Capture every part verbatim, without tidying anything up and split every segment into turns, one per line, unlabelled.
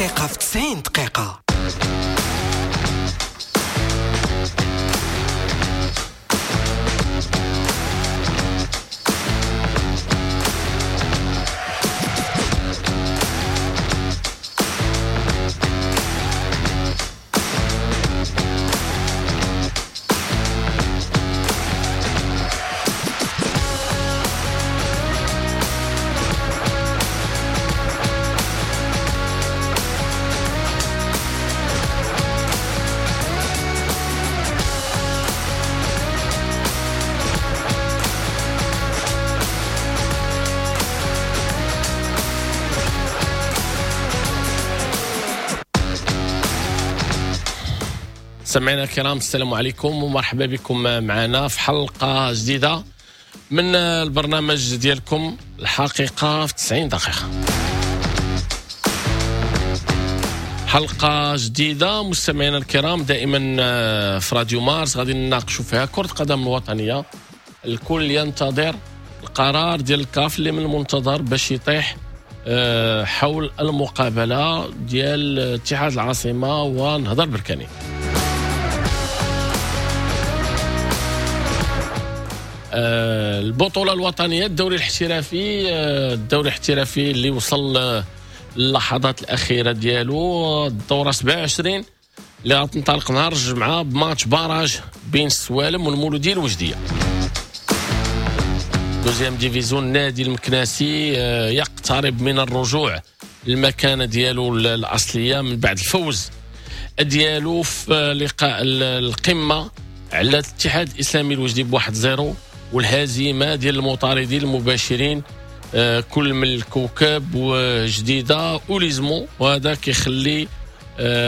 الحقيقة في تسعين دقيقة.
سمعنا الكرام، السلام عليكم ومرحبا بكم معنا في حلقة جديدة من البرنامج ديالكم الحقيقة في تسعين دقيقة. حلقة جديدة مستمعينا الكرام، دائما في راديو مارس غادي نناقشوا فيها كرة قدم الوطنية. الكل ينتظر القرار ديال الكاف اللي من المنتظر باش يطيح حول المقابلة ديال اتحاد العاصمة ونهضة البركاني. البطولة الوطنية، الدوري الاحترافي، الدوري الاحترافي اللي وصل للحظات الأخيرة ديالو، الدورة سبعة وعشرين اللي غتنطلق نهار الجمعة ب match barrage بين السوالم والمولودية الوجدية. deuxième division، النادي المكناسي يقترب من الرجوع للمكانة ديالو الأصلية من بعد الفوز ديالو في لقاء القمة على الاتحاد الإسلامي الوجدي بواحد zéro، والهزيمة ديال المطاردين المباشرين كل من الكوكب وجديدة وليزمو، وهذا كيخلي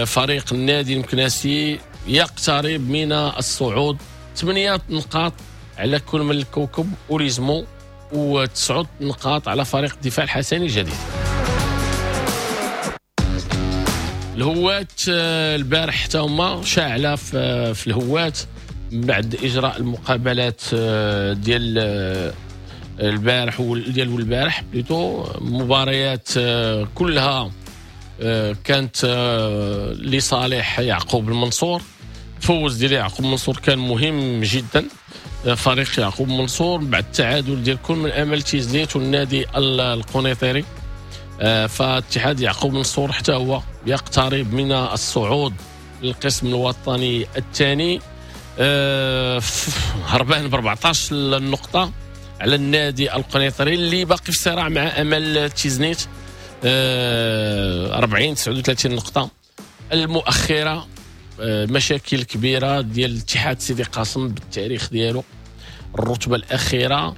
فريق النادي المكناسي يقترب من الصعود. ثمانية نقاط على كل من الكوكب وليزمو، وتسعة نقاط على فريق الدفاع الحسني الجديد. الهوات البارح حتى هما شاعلة في الهوات بعد اجراء المقابلات ديال البارح ديال البارح plutôt، مباريات كلها كانت لصالح يعقوب المنصور. فوز ديال يعقوب المنصور كان مهم جدا، فريق يعقوب المنصور بعد التعادل ديال كل من امل تيزنيت والنادي القنيطري. فاتحاد يعقوب منصور حتى هو يقترب من الصعود للقسم الوطني الثاني، هربان ب أربعطاش النقطة على النادي القنيطري اللي باقي في صراع مع أمل تيزنيت، أربعين تسعة وثلاثين نقطة. المؤخرة مشاكل كبيرة ديال اتحاد سيدي قاسم بالتاريخ ديالو، الرتبة الأخيرة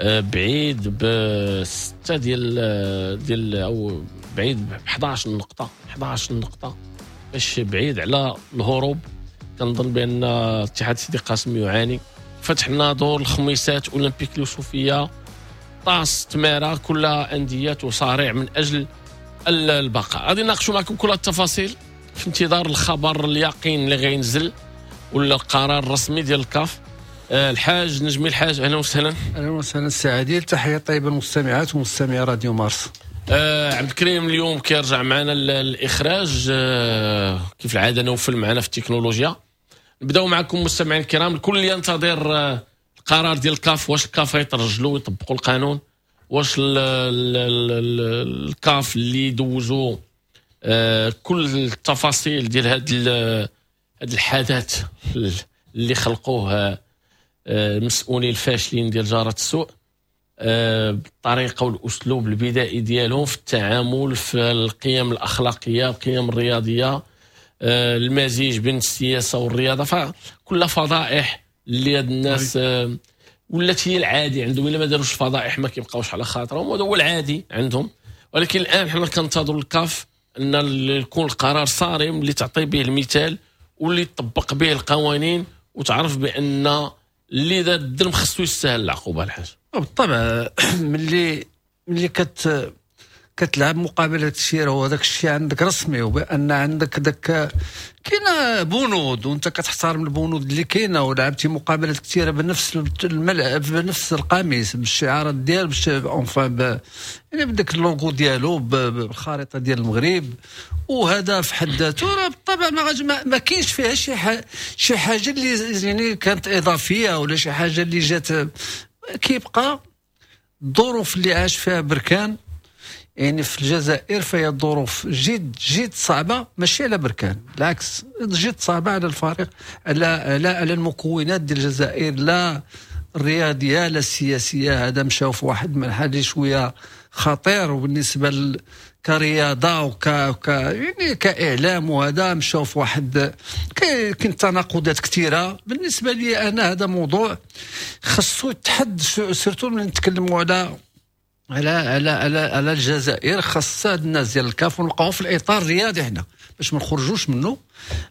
بعيد بستة ديال ديال أو بعيد ب إحداش نقطة، إحداش نقطة باش بعيد على الهروب. كنظن بان اتحاد سيدي قاسم يعاني. فتح الناظور، الخميسات، اولمبيك اليوسفيه، طاس، تمارا، كلها اندية تصارع من اجل البقاء. غادي نناقشوا معكم كل التفاصيل في انتظار الخبر اليقين اللي غينزل ولا القرار الرسمي ديال الكاف. الحاج نجمي الحاج، اهلا وسهلا.
اهلا وسهلا سي عادل، تحية طيبة للمستمعات ومستمعي راديو مارس.
آه عبد الكريم اليوم كيرجع معنا الاخراج، آه كيف العادة نوفل معنا في التكنولوجيا. نبداو معكم مستمعين الكرام، الكل ينتظر القرار ديال الكاف. واش الكاف يترجلوا ويطبقوا القانون؟ واش ال ال ال الكاف اللي دوزوا آه كل التفاصيل ديال هذا هذا الحدث اللي خلقوه آه المسؤولين الفاشلين ديال جارة السوء، آه بالطريقة والاسلوب البدائي ديالهم في التعامل، في القيم الاخلاقية، القيم الرياضية، المزيج بين السياسة والرياضة، فكلها فضائح اللي هاد الناس ولات هي العادي عندهم. الا ما داروش فضائح ما كيبقاوش على خاطرهم، وهذا هو العادي عندهم. ولكن الان حنا كنتظروا الكاف ان يكون القرار صارم اللي تعطي به المثال واللي تطبق به القوانين، وتعرف بان اللي دار الظلم خصو يستاهل العقوبة. الحاج
بالطبع ملي ملي كت كتلعب مقابلات كثيرة وهذاك الشيء عندك رسمي، وبان عندك داك كاينه بنود وانت كتحترم البنود اللي كاينه، ولعبتي مقابلات كثيرة بنفس الملعب بنفس القميص بالشعارات ديال باش enfin يعني بداك اللوغو ديالو بالخريطة ديال المغرب، وهذا في حد ذاته راه بالطبع ما ما كاينش فيها شي شي حاجة اللي يعني كانت اضافية ولا شي حاجة اللي جات. كيبقى الظروف اللي عاش فيها بركان يعني في الجزائر فهي ظروف جد جد صعبة، ماشي على بركان، بالعكس جد صعبة على الفريق، على على على المكونات ديال الجزائر، لا الرياضية لا السياسية. هذا مشاو في واحد المنحى شوية خطير، وبالنسبة كرياضه وك ك يعني كاعلام وهذا مشاو في واحد كاين تناقضات كثيرة. بالنسبة لي انا هذا موضوع خصو يتحد، surtout ملي نتكلموا على على على على على الجزائر، خاص هاد الناس ديال الكاف ونبقاو في الاطار الرياضي حنا باش ما نخرجوش منه.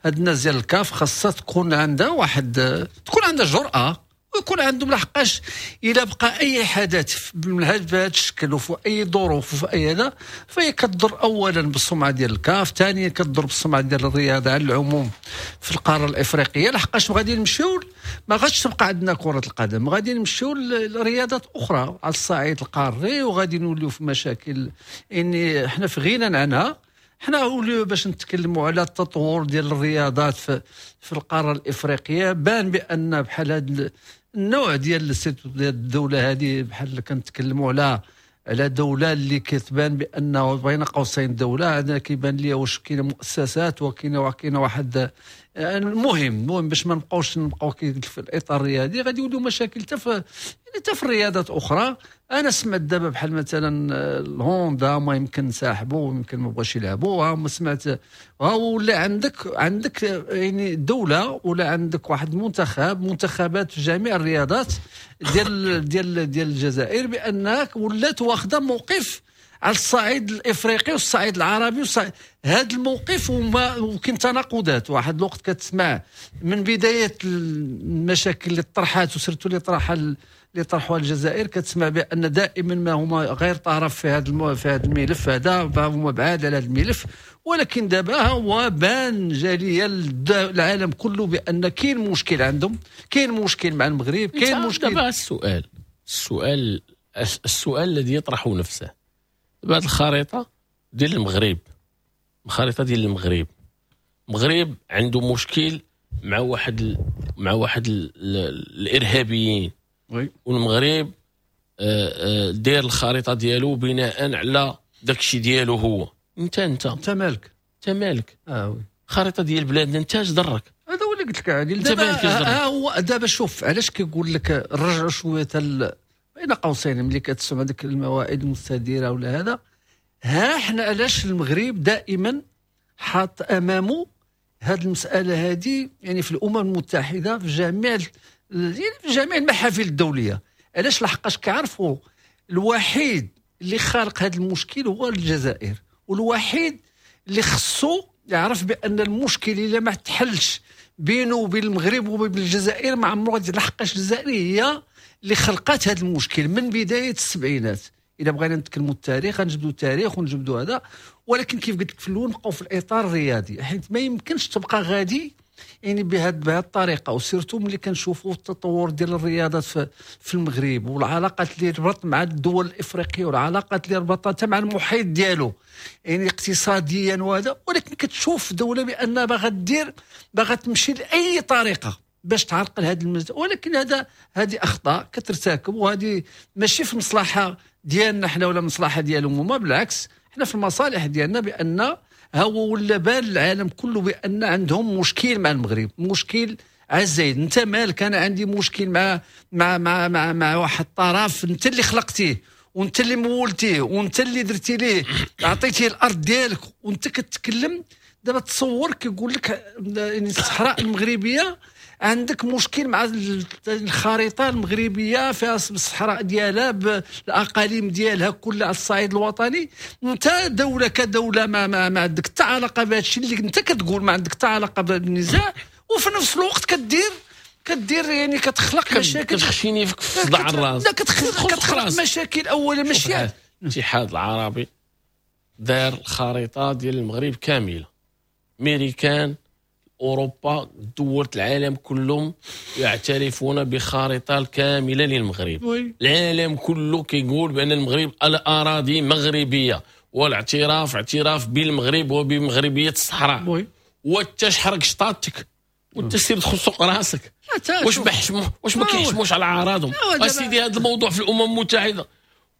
هاد الناس ديال الكاف خاصها تكون عندها واحد، تكون عندها جرأه ويكون عندهم، لحقاش الا بقى اي حدث من هذا الشكل وفي اي ظروف وفي اي هذا، فهي كتضر اولا بالسمعه ديال الكاف، ثانيا كتضر بالسمعه ديال الرياضة على العموم في القارة الافريقية، لحقاش غادي نمشيو ما غاديش تبقى عندنا كره القدم، غادي نمشيو لرياضات اخرى على الصعيد القاري، وغادي نوليو في مشاكل يعني حنا في غنى عنها. حنا اوليو باش نتكلموا على التطور ديال الرياضات في, في القارة الافريقية، بان بان بحال هذا النوع ديال الدولة هذه، بحال كنتكلموا على على دولة اللي كتبان بانه بين قوسين دولة، هذا كيبان لي واش كاينه مؤسسات وكاينه وكاينه واحد. المهم المهم باش ما نبقاوش نبقاو في الاطار الرياضي، غادي يوليو مشاكل حتى في حتى في الرياضات اخرى. انا سمعت دابا بحال مثلا الهوندا ما يمكن نسحبوا، يمكن ما بغاش يلعبوا، ما سمعت ولا عندك عندك يعني دولة ولا عندك واحد المنتخب، منتخبات في جميع الرياضات ديال ديال ديال الجزائر، بانك ولات واخده موقف على الصعيد الافريقي والصعيد العربي والصعيد. هذا الموقف وما وكاين تناقضات. واحد الوقت كتسمع من بداية المشاكل اللي طرحات و surtout اللي طرحها اللي طرحوها الجزائر، كتسمع بان دائما ما هما غير طرف في هذا المو... في هذا الملف هذا، هما بعاد على هذا الملف، ولكن دابا هو بان جالية العالم كله بان كاين مشكل عندهم، كاين مشكل مع المغرب، كاين مشكل.
دابا السؤال السؤال السؤال الذي يطرح نفسه، دابا هذه الخريطة ديال المغرب، الخريطة ديال المغرب، المغرب عنده مشكل مع واحد ال... مع واحد ال... الارهابيين، والمغرب داير الخريطة ديالو بناء على داكشي ديالو هو. انت انت
انت مالك،
انت مالك
اه oui
الخريطة ديال بلادنا انت اش ضرك؟
هذا هو اللي قلت لك عادل. دابا هو دابا شوف علاش كيقول لك رجعوا شوية ال... بين قوسين ملي كتسمع ديك المواعيد المستديرة ولا هذا، ها حنا علاش المغرب دائما حاط امامه هذه المسالة هذه، يعني في الامم المتحدة في جميع يعني في جميع المحافل الدولية. علاش؟ لحقاش كيعرفوا الوحيد اللي خالق هذا المشكل هو الجزائر، والوحيد اللي خصو يعرف بان المشكل الا ما تحلش بينه وبين المغرب وبين الجزائر ما عمرو غادي، لحقاش الجزائر هي اللي خلقات هذا المشكل من بداية السبعينات. اذا بغينا نتكلموا التاريخ غنجبدوا التاريخ ونجبدوا هذا، ولكن كيف قلت لك في الاول نبقاو في الاطار الرياضي، حيت ما يمكنش تبقى غادي يعني بهذه بهذه الطريقة. و surtout ملي كنشوفوا التطور ديال الرياضات في, في المغرب، والعلاقات اللي ربط مع الدول الافريقية، والعلاقات اللي ربطتها مع المحيط ديالو يعني اقتصاديا وهذا، ولكن كتشوف دولة بان باغا دير باغا تمشي لاي طريقه باش تعرقل هذا المز... ولكن هذا هذه اخطاء كترتكب، وهذه ماشي في مصلحة ديالنا حنا ولا مصلحة ديالهم هما، بالعكس حنا في المصالح ديالنا، بان هو ولا بان العالم كله بان عندهم مشكل مع المغرب، مشكل عزيز. انت مالك؟ انا عندي مشكل مع مع مع مع, مع واحد الطرف انت اللي خلقتيه وانت اللي مولتيه وانت اللي درتي ليه عطيتيه الارض ديالك، وانت كتكلم دابا. تصور كيقول لك يعني الصحراء المغربية عندك مشكل مع الخريطة المغربية فيها الصحراء ديالها بالاقاليم ديالها كلها على الصعيد الوطني. انت دولة كدولة ما ما, ما عندك حتى علاقة بهذا الشيء اللي انت كتقول، ما عندك حتى علاقة بالنزاع، وفي نفس الوقت كدير كدير يعني كتخلق مشاكل،
كتخشيني في صداع الراس.
لا كتخلق مشاكل اولا ماشي
الاتحاد العربي دار الخريطة ديال المغرب كاملة، ميريكان، اوروبا، دول العالم كلهم يعترفون بخريطه الكاملة للمغرب.
oui.
العالم كله كيقول بان المغرب الاراضي مغربية، والاعتراف اعتراف بالمغرب وبمغربيه الصحراء.
oui.
وانت شحرق شطاطتك وانت سير دخل سوق راسك. واش بحشمو واش ما كيحشموش على اعراضهم؟ اسيدي هذا الموضوع في الامم المتحدة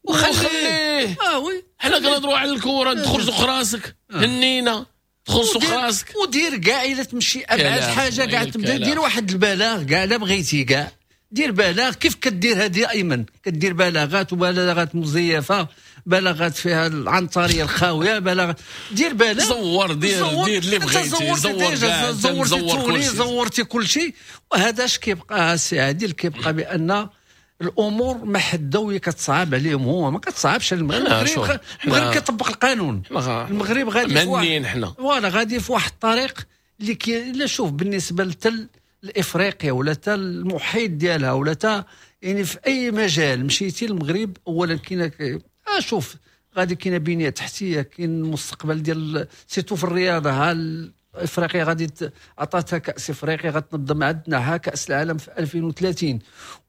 وخليه.
اه oui،
حنا كنهضروا على الكره، دخل سوق راسك، هنينا، دخل سوق راسك.
ودير كاع الا تمشي ابعد حاجة كاع تبدا دير واحد البلاغ كاع لا بغيتي كاع دير بلاغ كيف كدير هذه ايمن، كدير بلاغات وبلاغات مزيفة، بلاغات فيها العنطريه الخاويه، بلاغ دير بلاغ
زور، دير دير اللي بغيتي،
زور زورتي توني، زورتي كل شيء. وهذا اش كيبقى السي عادل؟ كيبقى بان الامور ما حدوية كتصعب عليهم، هو ما كتصعبش على المغرب. المغرب المغرب كيطبق القانون، المغرب غادي في واحد
حنا
voilà غادي في واحد الطريق اللي كي لا شوف بالنسبة لتل الافريقيا ولا تا المحيط ديالها ولا تا يعني في اي مجال مشيتي المغرب اولا كاين آه شوف غادي كاينه بنيه تحتيه، كاين المستقبل ديال surtout في الرياضة. ها افريقيا غادي عطاتها كاس افريقيا غتنظم عندنا ها كاس العالم في ألفين وثلاثين.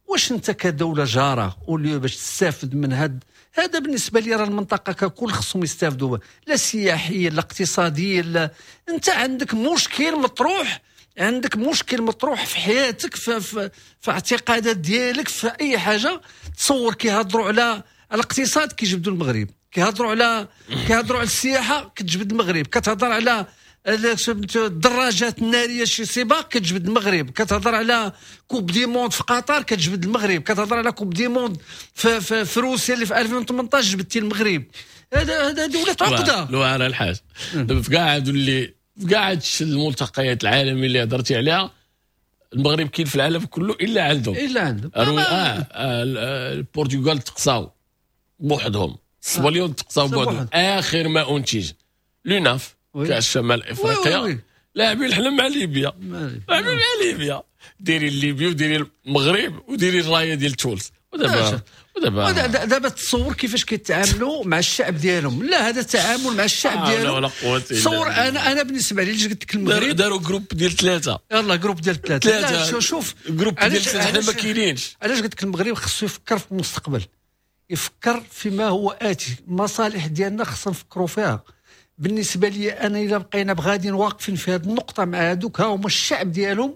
واش انت كدولة جاره au lieu باش تستافد من هاد هذا؟ بالنسبة لي راه المنطقة ككل خصهم يستافدوا، لا سياحيا لا اقتصاديا لا. انت عندك مشكل مطروح، عندك مشكل مطروح في حياتك، في, في, في اعتقادات ديالك، في اي حاجة. تصور كيهضروا على على الاقتصاد كيجبدوا المغرب، كيهضروا على كيهضروا على السياحة كتجبد المغرب، كتهضر على الدراجات النارية شي سباق كتجبد المغرب، كتهضر على coupe du monde في قطر كتجبد المغرب، كتهضر على coupe du monde في, في, في روسيا اللي في ألفين وثمنطاش جبدتي المغرب. هذا هذا دولة عقده.
لو على الحاج دابا في كاع هادو اللي في كاع هادشي الملتقيات العالمية اللي هضرتي عليها، المغرب كاين في العالم كله الا عندهم،
الا عندهم.
اه, آه البرتغال تقصاو بوحدهم، السبليون تقصاو بوحدهم. اخر ما انتج l'UNAF كاس شمال افريقيا لاعبين حنا مع ليبيا، لاعبين مع ليبيا، ديري ليبيا وديري المغرب وديري الراية ديال تونس. ودابا ودابا
دابا تصور كيفاش كيتعاملوا مع الشعب ديالهم. لا هذا التعامل مع الشعب آه ديالهم.
ولا قوة الا
تصور انا انا بالنسبة لي قلت لك المغرب
داروا groupe ديال ثلاثة،
يلا groupe ديال ثلاثة. شوف
groupe ديال ثلاثة حنا ما كاينينش.
علاش قلت لك المغرب خصو يفكر في المستقبل، يفكر فيما هو اتي، المصالح ديالنا خصنا نفكروا فيها. بالنسبة لي انا الا بقينا بغاديين واقفين في هذه النقطة مع هذوك، ها هما الشعب ديالهم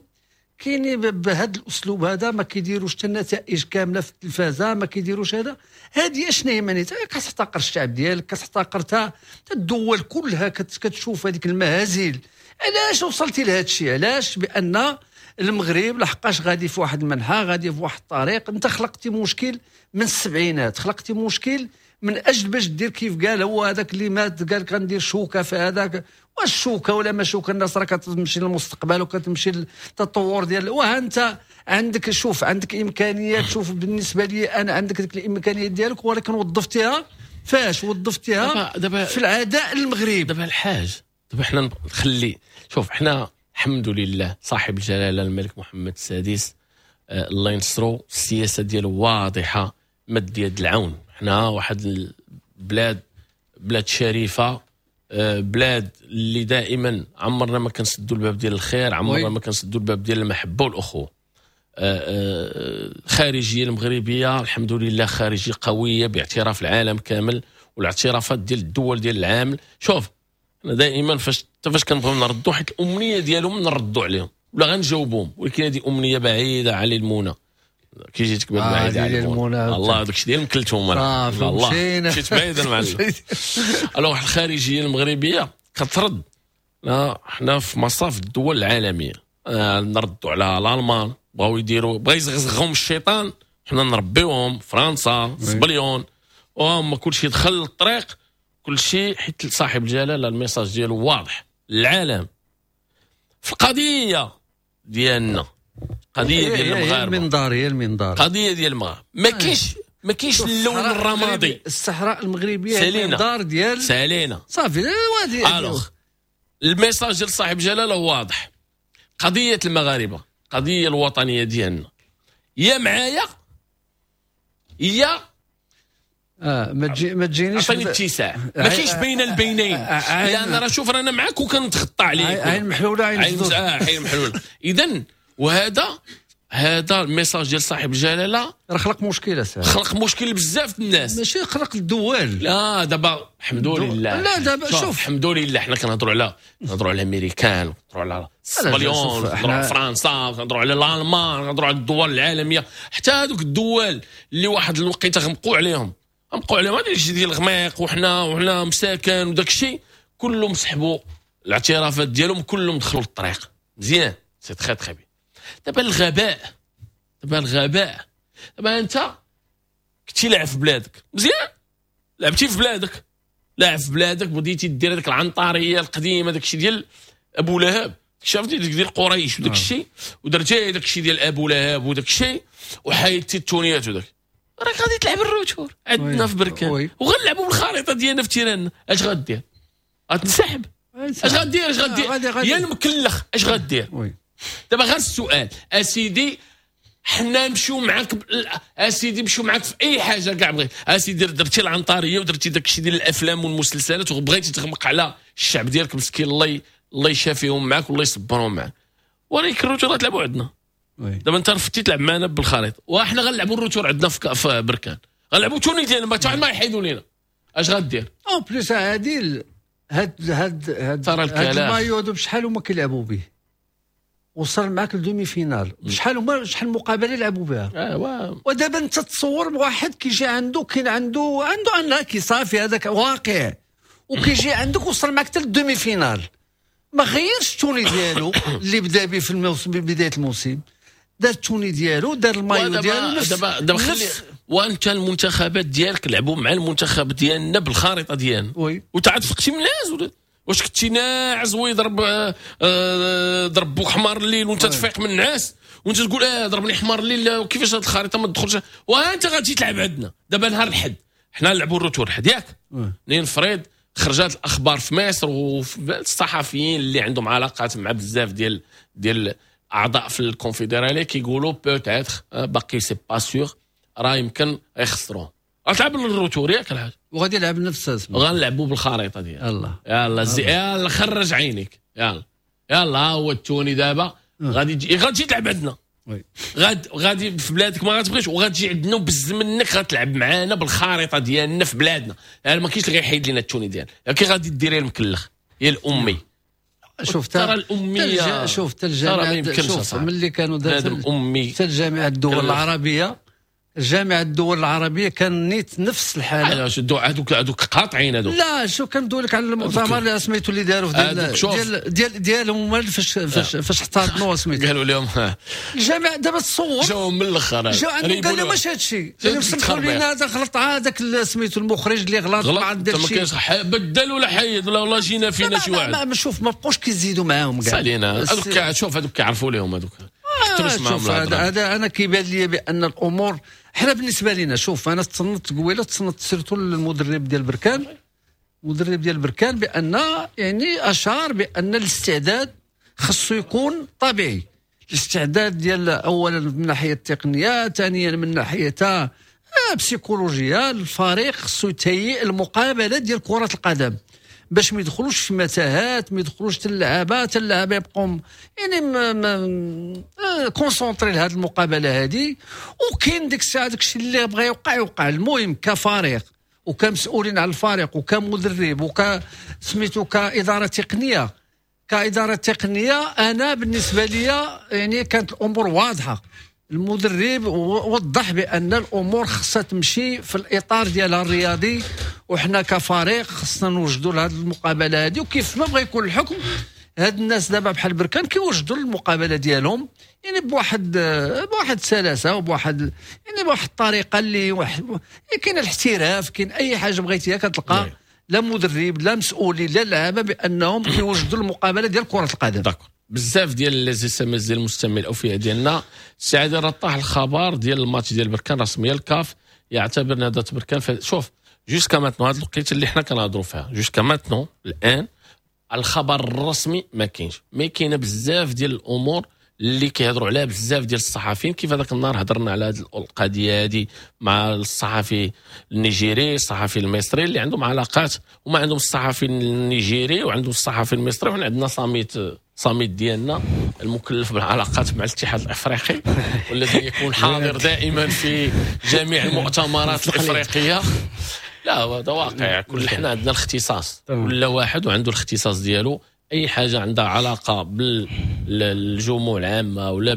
كاين بهذا الاسلوب هذا، ما كيديروش حتى النتائج كاملة في التلفازه، ما كيديروش هذا. هذه اشنا هي معناتها؟ كتحتقر الشعب ديالك، كتحتقر حتى الدول كلها، كتشوف هذيك المهازل. علاش وصلتي لهذا الشيء؟ علاش؟ بان المغرب لحقاش غادي في واحد المنحى، غادي في واحد الطريق. انت خلقتي مشكل من السبعينات، خلقتي مشكل من اجل باش دير كيف قال هو هذاك اللي مات، قال لك غندير شوكه في هذاك. واش شوكه ولا ما شوكه؟ الناس راه كتمشي للمستقبل وكتمشي للتطور ديال. وها انت عندك شوف عندك امكانيات. شوف بالنسبة لي انا عندك ديك الامكانيات ديالك، ولكن وظفتيها فاش؟ وظفتيها دابا في العداء المغرب.
دابا الحاج دابا حنا نخلي شوف حنا الحمد لله صاحب الجلاله الملك محمد السادس آه الله ينصرو، السياسة ديالو واضحة، مد يد العون. حنا واحد البلاد، بلاد شريفه، بلاد اللي دائما عمرنا ما كنسدوا الباب ديال الخير، عمرنا ما كنسدوا الباب ديال المحبة والاخوة. الخارجية المغربية الحمد لله خارجية قوية باعتراف العالم كامل والاعترافات ديال الدول ديال العالم. شوف انا دائما فاش فاش كنبغيو نردوا، حيت الامنية ديالهم نردوا عليهم ولا غنجاوبهم، ولكن هذه امنية بعيدة على المونه. كي جيتك آه بعيد على المونه الله هذاك الشيء ديال مكلتهم انا الله مشيت بعيد المعلم. alors الخارجية المغربية كترد، لا حنا في مصاف الدول العالمية. آه نردوا على الالمان، بغاو يديروا بغا يزغزغهم الشيطان، حنا نربيوهم. فرنسا سبليون وهم كلشي دخل للطريق، كلشي حيت صاحب الجلاله ال message ديالو واضح للعالم في القضية ديالنا، قضية ديال المغاربة،
المنظار هي المنظار،
قضية ديال المغاربة. ما كاينش ما كاينش اللون الرمادي.
الصحراء المغربية هي المنظار ديال
سالينا
صافي.
alors ال message ديال صاحب جلاله واضح، قضية المغاربة، قضية الوطنية ديالنا، يا معايا يا
اه ما تجي ما تجينيش،
عطيني اتساع، ما كاينش بين البينين، لان راه شوف رانا معاك وكنتخطى عليك.
عين محلوله، عين
عين آه عين محلوله. اذا وهذا هذا ال message ديال صاحب الجلاله
راه خلق مشكلة ساعة.
خلق مشكل بزاف الناس،
ماشي خلق الدول.
لا دابا الحمد لله،
لا دابا شوف
الحمد لله حنا كنهضروا على كنهضروا على الامريكان، كنهضروا على الاسبانيول، كنهضروا على فرنسا، كنهضروا على الالمان، كنهضروا على الدول العالميه. حتى هذوك الدول اللي واحد الوقيته غمقوا عليهم غمقوا عليهم هذا الشيء ديال الغميق، وحنا وحنا مساكن وداك الشيء، كلهم سحبوا الاعترافات ديالهم، كلهم دخلوا للطريق مزيان. c'est très très bien. دابا الغباء، دابا الغباء، دابا انت كنتي لاعب في بلادك مزيان، لعبتي في بلادك، لاعب في بلادك، بديتي دير هذيك العنطريه القديمه، داك الشيء ديال ابو لهب، شفتي ديك ديال قريش وداك الشيء، ودرتي داك الشيء ديال ابو لهب وداك الشيء، وحيدتي التونيات وداك، راك غادي تلعب ال retour عندنا في بركان، وغنلعبوا بالخريطة ديالنا في terrain نا. اش غدير؟ غتنسحب؟ اش غدير؟ اش غدير يا المكلخ؟ اش غدير؟ دابا غير السؤال اسيدي، حنا نمشيو معاك اسيدي، نمشيو معاك في اي حاجة كاع بغيت اسيدي. درتي العنطريه ودرتي داك الشيء ديال الافلام والمسلسلات، وبغيتي تغمق على الشعب ديالك مسكين، الله الله يشافيهم معاك والله يصبرهم معاك، ولكن ال retour غتلعبوا عندنا. دابا انت رفضتي تلعب معنا بالخريطة، وحنا غنلعبوا ال retour عندنا في بركان، غنلعبوا tenue ديالنا، ما حتى ما يحيدوا لينا. اش غدير؟
en plus عادل، هاد هاد هاد هاد المايو هادو بشحال هما كيلعبوا به، وصل معاك ل demi-finale، شحال هما شحال مقابله لعبوا بها.
آه
ودابا انت تصور واحد كيجي عنده، كاين عنده عنده un acquis صافي، هذاك واقع، وكيجي عندك وصل معاك حتى لل demi-finale، ما غيرش ال tenue ديالو اللي بدا به في الموسم، بداية الموسم دار ال tenue ديالو، دار المايو ديالو.
دابا دابا خلي، وانت المنتخبات ديالك لعبوا مع المنتخب ديالنا بالخريطة ديالنا،
oui
وتعاد فقتي من الناس؟ واش كنتي ناعس ويضرب آه ضرب بوك حمار الليل وانت تفيق من النعاس وانت تقول اه ضربني حمار الليل، وكيفاش هاد الخريطة ما تدخلش؟ وانت غادي تلعب عندنا دابا نهار الحد، حنا نلعبوا ال retour الحد ياك؟ نفرض خرجت الاخبار في مصر وفي الصحفيين اللي عندهم علاقات مع بزاف ديال ديال اعضاء في الكونفدراليه كيقولوا peut-être، باقي c'est pas sûr، راه يمكن يخسروه. غتلعب ال retour ياك الحاج؟
وغادي يلعب نفس،
غنلعبوا بالخريطة ديالنا.
يلا
يلا زي يلا خرج عينيك، يلا يلا ها هو ال tenue دابا غادي تجي غادي تلعب عندنا، غاد غادي في بلادك ما غاتبغيش، وغتجي عندنا وبز منك غتلعب معانا بالخريطة ديالنا في بلادنا، يعني ما كاينش اللي غيحيد لنا ال tenue ديالنا. كي غادي ديري المكلخ يا الامي؟
شوف
ترى الامية،
شوف الجامعة، شوف ملي كانوا
بنادم امي
حتى الجامعة الدول العربيه، جامعه الدول العربية كان نيت نفس الحاله.
علاش هذوك هذوك قاطعين هذوك؟
لا شو كندوي لك على المؤتمر اللي سميتو اللي داروا في ديال ديال ديال ديالهم فاش فاش فاش احتضنوا سميتو،
قالوا لهم
الجامعة دابا تصور
جاو من الاخر،
جاو عندهم قال لهم واش هذا الشيء؟ قال لهم سمحوا لنا هذا غلط، هذاك سميتو المخرج اللي غلط
مع داك الشيء، ما كاينش بدل ولا حيد ولا والله جينا فينا شي واحد.
ما شوف ما بقوش كيزيدوا معاهم
كاع سالينا هذوك. شوف هذوك كيعرفوا لهم هذوك.
شوف هذا انا كيبان لي بان الامور حنا بالنسبة لنا، شوف انا تصنت قبيلة، تصنت surtout المدرب ديال بركان، المدرب ديال بركان بان يعني اشار بان الاستعداد خصو يكون طبيعي، الاستعداد ديال اولا من ناحية التقنية، ثانيا من ناحية بسيكولوجيا، الفريق خصو يتهيئ المقابلة ديال كره القدم باش ما يدخلوش في متاهات، ما يدخلوش حتى اللعابه، حتى اللعابه يبقوا يعني concentrés لهذه المقابلة هذه. وكاين ديك الساعة داك الشيء اللي بغى يوقع يوقع. المهم كفريق وكمسؤولين على الفريق وكمدرب وك سميتو كادارة تقنية، كادارة تقنية انا بالنسبة لي يعني كانت الامور واضحة. المدرب وضح بان الامور خصها تمشي في الاطار ديالها الرياضي، وحنا كفريق خصنا نوجدوا لهذه المقابلة هذه، وكيف ما بغى يكون الحكم. هاد الناس دابا بحال بركان كيوجدوا المقابلة ديالهم يعني بواحد بواحد السلاسة وبواحد يعني بواحد الطريقة اللي واحد كاين الاحتراف، كاين اي حاجة بغيتيها كتلقى، لا مدرب لا مسؤولين لا لعابه بانهم كيوجدوا المقابلة ديال كره القدم.
d'accord. بزاف ديال les SMS ديال المستمعين الاوفياء ديالنا. السي راه طاح الخبر ديال الماتش ديال بركان رسميا، الكاف يعتبر نهضة بركان. شوف jusqu'à maintenant هاد الوقيته اللي حنا كنهضروا فيها، jusqu'à maintenant الان الخبر الرسمي ما كاينش، mais كاينه بزاف ديال الامور اللي كيهضروا عليها بزاف ديال الصحفيين. كيف هذاك النهار هضرنا على هذه القضية هذه مع الصحفي النيجيري، الصحفي المصري اللي عندهم علاقات، وما عندهم الصحفي النيجيري وعندهم الصحفي المصري، وحنا عندنا صامت صامت ديالنا المكلف بالعلاقات مع الاتحاد الافريقي والذي يكون حاضر دائما في جميع المؤتمرات الافريقية. لا هذا واقع، كل حنا عندنا الاختصاص، كل واحد وعنده الاختصاص ديالو. اي حاجة عندها علاقة بالجموع العامة ولا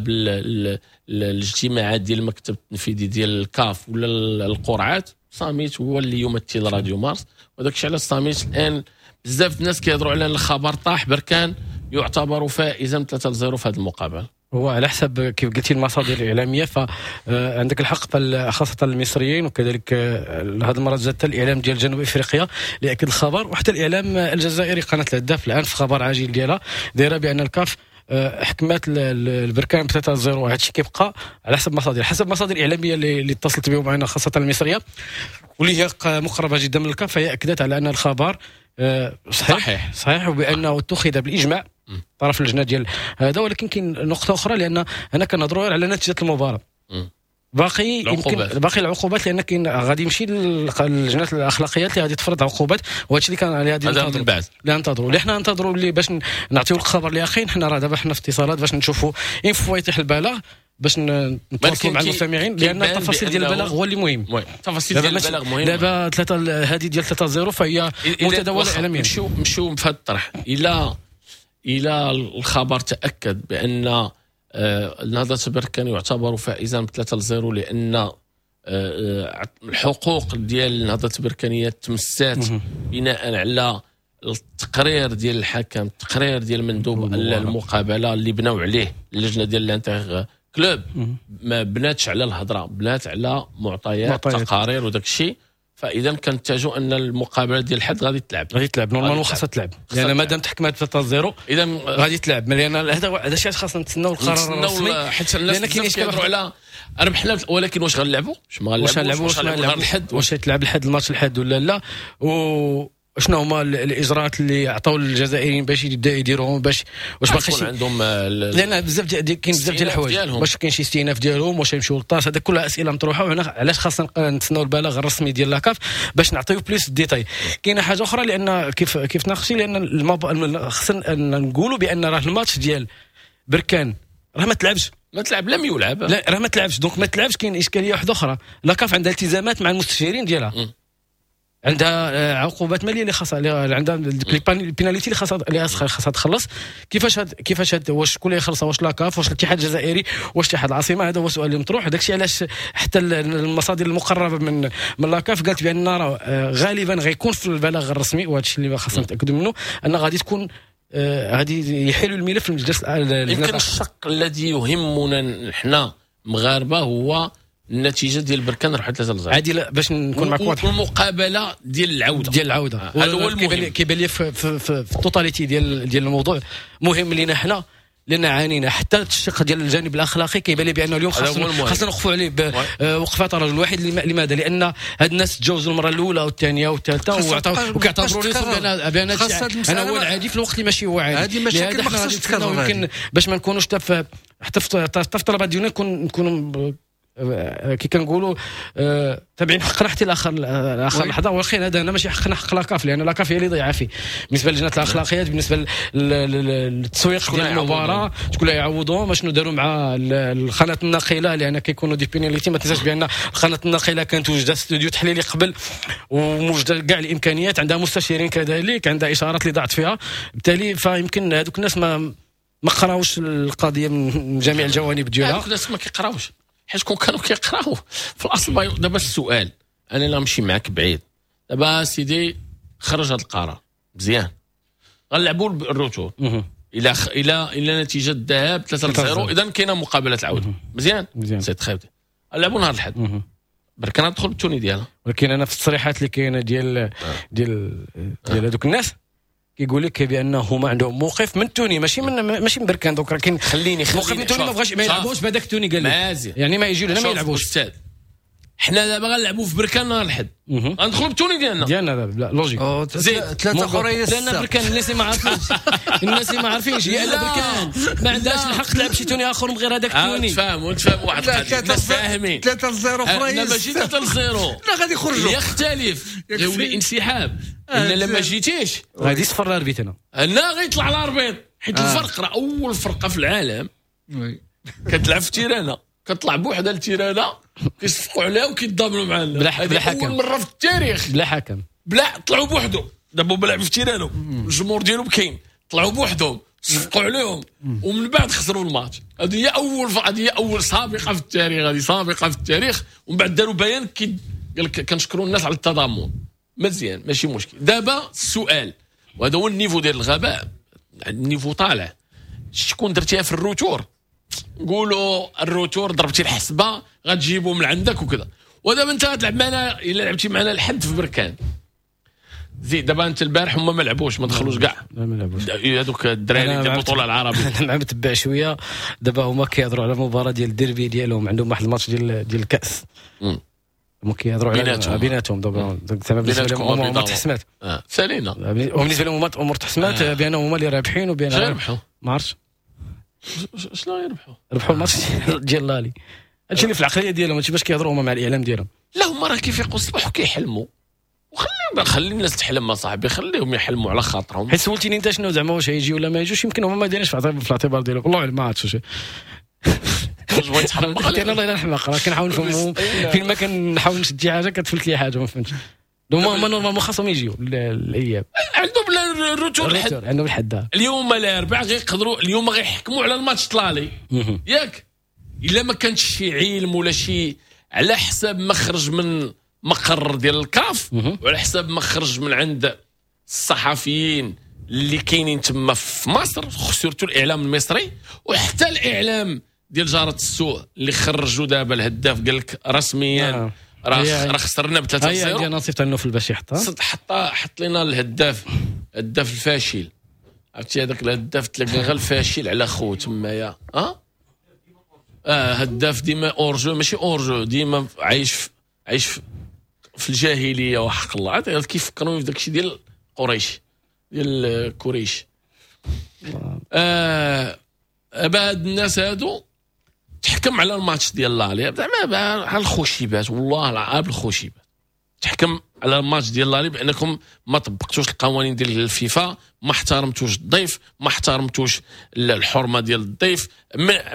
بالاجتماعات ديال المكتب التنفيذي ديال الكاف ولا القرعات، صامت هو اللي يمثل راديو مارس. وهذاك الشيء علاش صامت الان بزاف الناس كيهضروا على الخبر طاح بركان يعتبر فائزا ثلاثة صفر في هذه المقابلة.
هو على حسب كيف قلتي المصادر الاعلامية، فعندك الحق، خاصة المصريين وكذلك هذه المرة زاد الاعلام ديال جنوب افريقيا اللي اكد الخبر، وحتى الاعلام الجزائري قناة الهداف الان في خبر عاجل ديالها دايرة بان الكاف حكمات البركان ب ثلاثة صفر. هذا الشيء كيبقى على حسب مصادر، حسب مصادر الاعلامية اللي اتصلت بهم معنا خاصة المصرية واللي هي مقربة جدا من الكاف، فهي اكدت على ان الخبر صحيح صحيح, صحيح وبانه اتخذ بالاجماع طرف اللجنة ديال هذا. ولكن كاين نقطة اخرى، لان هنا كنهضروا على نتيجة المباراة، باقي يمكن باقي العقوبات، لان كاين غادي يمشي للجنة الاخلاقيات اللي غادي تفرض عقوبات، وهادشي اللي كان عليه غادي
ننتظروا من بعد.
اللي ننتظروا اللي حنا ننتظروا اللي باش نعطيو الخبر الاخير. حنا راه دابا حنا في اتصالات باش نشوفوا une fois يطيح البلاغ باش نتواصلوا مع المستمعين، لان التفاصيل ديال البلاغ هو اللي مهم.
التفاصيل ديال البلاغ مهمة.
دابا ثلاثة هذه ديال ثلاثة صفر فهي متداوله اعلاميا.
نمشيو نمشيو في هذا الطرح الى الى الخبر تاكد بان نهضة بركان يعتبر فائزا ب ثلاثة صفر، لان الحقوق ديال نهضة بركانيه تمسات بناء على التقرير ديال الحكم، التقرير ديال مندوب المقابلة اللي بناو عليه اللجنة ديال l'interclub، ما بناتش على الهضرة، بنات على معطيات تقارير وداك الشيء. فاذا كنتجوا ان المقابلة ديال الحد غادي تلعب،
غادي تلعب normalement خاصها تلعب، لان مادام تحكمات ثلاثة صفر
اذا
غادي تلعب. لان هذا هذا الشيء خاصنا نتسناو القرار الرسمي،
حيت الناس كيهضروا على ربحنا، ولكن واش غنلعبوا؟ واش ما غنلعبوش؟
واش غنلعبوا الحد؟ واش تلعب الحد الماتش الحد ولا لا؟ و شنو هما الاجراءات اللي عطاو للجزائريين باش يبدا يديروهم، باش واش باقي
شي عندهم؟
لان بزاف ديال كاين بزاف ديال الحوايج، واش كاين شي استئناف ديالهم، واش يمشيو لل TAS، هذا كلها اسئلة مطروحة. وهنا علاش خاصنا نتسناو البلاغ الرسمي ديال la CAF باش نعطيو plus détails. كاينه حاجة اخرى، لان كيف كيف ناقشتي، لان المب... خصنا نقولوا بان راه الماتش ديال بركان راه ما تلعبش،
ما تلعب، لم يلعب،
لا راه ما تلعبش. donc ما تلعبش، كاين اشكالية واحدة اخرى. la CAF عندها التزامات مع المستشارين ديالها، م. عندها عقوبات ماليه اللي خاصها، عندها ال pénalités اللي خاصها اللي خاصها تخلص. كيفاش هاد كيفاش هاد واش شكون اللي يخلصها؟ واش la CAF، واش الاتحاد الجزائري، واش اتحاد العاصمة؟ هذا هو السؤال اللي مطروح. داكشي علاش حتى المصادر المقربة من من la CAF قالت بان راه غالبا غيكون في البلاغ الرسمي، وهذا الشيء اللي خاصنا نتاكدوا منه، ان غادي تكون غادي يحيلوا الملف للمجلس.
يمكن الشق الذي يهمنا نحن مغاربة هو النتيجة ديال بركان ربحت ثلاثة صفر.
عادي باش نكون معك واضح،
المقابلة ديال العودة
ديال العودة
هذا هو المهم.
كيبان لي في, في, في, في ال totalité ديال ديال الموضوع مهم لينا حنا، لان عانينا حتى الشق ديال الجانب الاخلاقي. كيبان لي بانه اليوم خاصنا خاصنا نوقفوا عليه بوقفات رجل واحد. لماذا؟ لان هاد الناس تجاوزوا المرة الاولى والثانية والثالثة وكيعتبروا راسهم بان بان انا هو العادي في الوقت اللي ماشي هو عادي.
هذه مشاكل ما خصهاش تكرر.
يمكن باش ما نكونوش حتى في حتى في الطلبة ديالنا نكونوا كي كنقولوا تابعين حقنا حتى لاخر اخر لحظة. ولكن هذا هنا ماشي حقنا، حق la CAF، لان la CAF هي اللي ضيعه فيه بالنسبة للجنة الاخلاقيات، بالنسبة للتسويق ديال المباراة، شكون اللي يعوضوهم، شنو داروا مع القناة الناقله، لان كيكونوا des pénalités. ما تنساش بان القناة الناقله كانت وجده استوديو تحليلي قبل وموجودة كاع الامكانيات، عندها مستشارين كذلك، عندها اشارات اللي ضاعت فيها. بالتالي فيمكن هذوك الناس ما ما قراوش القضية من جميع الجوانب ديالها.
هذوك الناس ما كيقراوش، حيت كون كانوا كيقراو في الاصل. دابا السؤال، انا لا نمشي معاك بعيد، دابا سيدي خرج هذا القرار مزيان، غنلعبوا ال retour الى خ... الى الى نتيجة الذهاب ثلاثة صفر، اذا كاينه مقابله العودة مزيان c'est très bien. نلعبوا نهار الاحد، بركان تدخل بال tenue ديالها.
ولكن انا في التصريحات اللي كاينه ديال ديال ديال هذوك الناس كيقول لك بان هما عندهم موقف من tenue، ماشي من ماشي من بركان. donc راه كاين
خليني
موقف من tenue، ما بغاش ما يلعبوش بهذاك tenue، قال لك يعني ما يجيو لنا ما يلعبوش.
استاذ حنا دابا غنلعبوا في بركان نهار الحد، غندخلوا بال tenue ديالنا
ديالنا دابا logique.
زيد
ثلاثة اخرين
لان بركان الناس ما عارفينش، الناس ما عارفينش هي ان بركان ما عندهاش الحق تلعب شي tenue اخر من غير هذاك ال tenue.
تفاهموا تفاهموا واحد القضية، الناس فاهمين.
ثلاثة صفر اخرين،
ماشي ثلاثة صفر،
لا غادي يخرجوا،
يختلف يولي انسحاب. ان لما جيتيش
غادي يصفر ال arbitre هنا،
هنا غيطلع ال arbitre، حيت الفرق راه اول فرقه في العالم كتلعب في terrain ها، كتطلع بوحدها لل terrain ها كيصفقوا عليها وكيتضامنوا معنا
بلا بلا حكم.
اول مرة في التاريخ
بلا حكم،
بلا طلعوا بوحدهم. دابا هما لعبوا في terrain هم، الجمهور ديالهم كاين، طلعوا بوحدهم صفقوا عليهم ومن بعد خسروا الماتش. هذه هي اول هذه هي اول سابقه في التاريخ، هذه سابقه في التاريخ. ومن بعد داروا بيان كي قال لك كنشكروا الناس على التضامن. مزيان ماشي مشكل. دابا السؤال، وهذا هو ال niveau ديال الغباء، ال niveau طالع. شكون درتيها في ال retour؟ نقولوا ال retour ضربتي الحسبة غتجيبو من عندك وكذا، ودابا انت غتلعب معنا، الا لعبتي معنا الحد في بركان. زيد دابا انت البارح هما ما لعبوش، ما دخلوش كاع،
لا ما لعبوش
هذوك الدراري ديال البطولة العربية.
انا مع متبع شوية دابا، هما كيهضروا على المباراة ديال الديربي ديالهم، عندهم واحد الماتش ديال ديال الكاس، هما كيهضروا على بيناتهم دابا. زعما بالنسبة لهم الامور تحسمات،
سالينا.
وبالنسبة لهم الامور تحسمات بانهم هما اللي رابحين، وبان
ربحوا
ما عرفتش
شنو يربحوا،
ربحوا الماتش ديال l'aller. هادشي اللي في العقلية ديالهم، هادشي باش كيهضروا هما مع الاعلام ديالهم.
لا هما راه كيفيقوا الصباح وكيحلموا، وخليهم خلي الناس تحلم صاحبي، خليهم يحلموا على خاطرهم.
حيت سولتيني انت شنو زعما واش هيجي ولا ما يجوش، يمكن هما ما دايرينش في الاعتبار ديالهم، والله اعلم ما عرفتش.
واش بغيت تحمق؟
انا والله الا نحمق، راه كنحاول نفهمهم فين ما كنحاول نشد شي حاجة كتفلت لي حاجة ما فهمتش. هما normalement خاصهم يجيو الاياب،
عندهم ال retour الحد،
عندهم الحد
اليوم الاربعاء غيقدروا اليوم غيحكموا على الماتش l'aller ياك. الا ما كانش شي علم ولا شي على حساب ما خرج من مقر ديال الكاف، وعلى حساب ما خرج من عند الصحفيين اللي كاينين تما في مصر، surtout الاعلام المصري وحتى الاعلام ديال جارة السوق اللي خرجوا دابا الهداف قال لك رسميا راه راه خسرنا ب ثلاثة صفر.
هي نصيفط لنا في الباش يحطها،
حط حط لنا الهداف، الهداف الفاشل. عرفتي هذاك الهداف تلقى غير الفاشل على خو تمايا. اه اه هداف ديما hors-jeu، ماشي hors-jeu، ديما عايش في عايش في, في الجاهلية وحق الله. عاد كيفكروني في داكشي ديال قريش، ديال قريش. آه بعد الناس هادو تحكم على الماتش ديال l'aller زعما على الخشيبات، والله العاب الخشيبات. تحكم على الماتش ديال l'aller بانكم ما طبقتوش القوانين ديال الفيفا، ما احترمتوش الضيف، ما احترمتوش الحرمة ديال الضيف،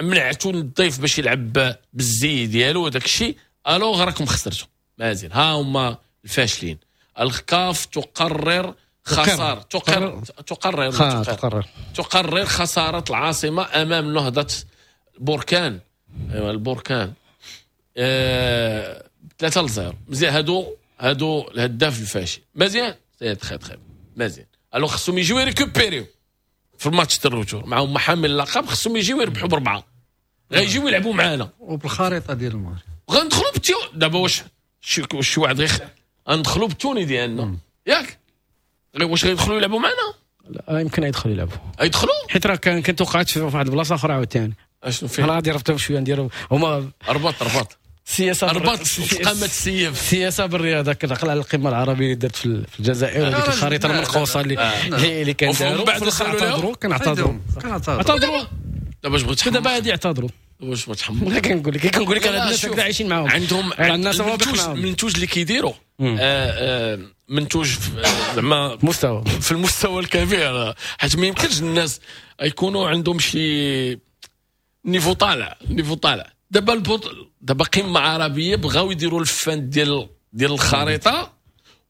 منعتوا الضيف باش يلعب بالزي ديالو وداك الشيء. alors راكم خسرتوا. مازال ها هما الفاشلين. الكاف تقرر خسارة، تقرر تقرر تقرر تقرر خسارة العاصمة امام نهضة بركان. ايوا البركان آه... ثلاثة لصفر. مزيان هادو هادو الهداف الفاشل. مزيان c'est très très مزيان. alors خصهم يجيو يريكوبيريو في الماتش تاع ال retour معاهم حامل اللقب، خصهم يجيو يربحوا بربعه، غيجيو يلعبوا معانا
وبالخريطه ديال الماتش
غندخلوا بال tenue. دابا واش شي شي واحد غير غندخلوا بال tenue ديالنا ياك؟ واش غيدخلوا يلعبوا معنا؟
لا يمكن يدخلوا يلعبوا،
يدخلوا
حيت راه كان كنت وقعت في واحد البلاصة اخرى عاوتاني.
اشنو فيه؟
انا غادي ربطهم شوية نديروا هما
ربط ربط
السياسة
ربط قامه السيف،
السياسة بالرياضة. كنعقل على القمه العربية اللي درت في الجزائر، هذيك الخريطة المنقوصه اللي اللي كان داروا
ومن بعد
اعتذروا. كنعتذروا
كنعتذروا
دابا اش بغيت
دابا هادي اعتذروا.
واش بغيت تحمق؟
لا كنقول لك كنقول لك راه الناس هكذا عايشين معاهم،
عندهم
الناس
المنتوج اللي كيديروا منتوج زعما
مستوى
في المستوى الكبير، حيت ما يمكنش الناس يكونوا عندهم شي niveau طالع، niveau طالع. دابا البط... دابا قمة عربية بغاو يديروا الفان ديال ديال الخريطة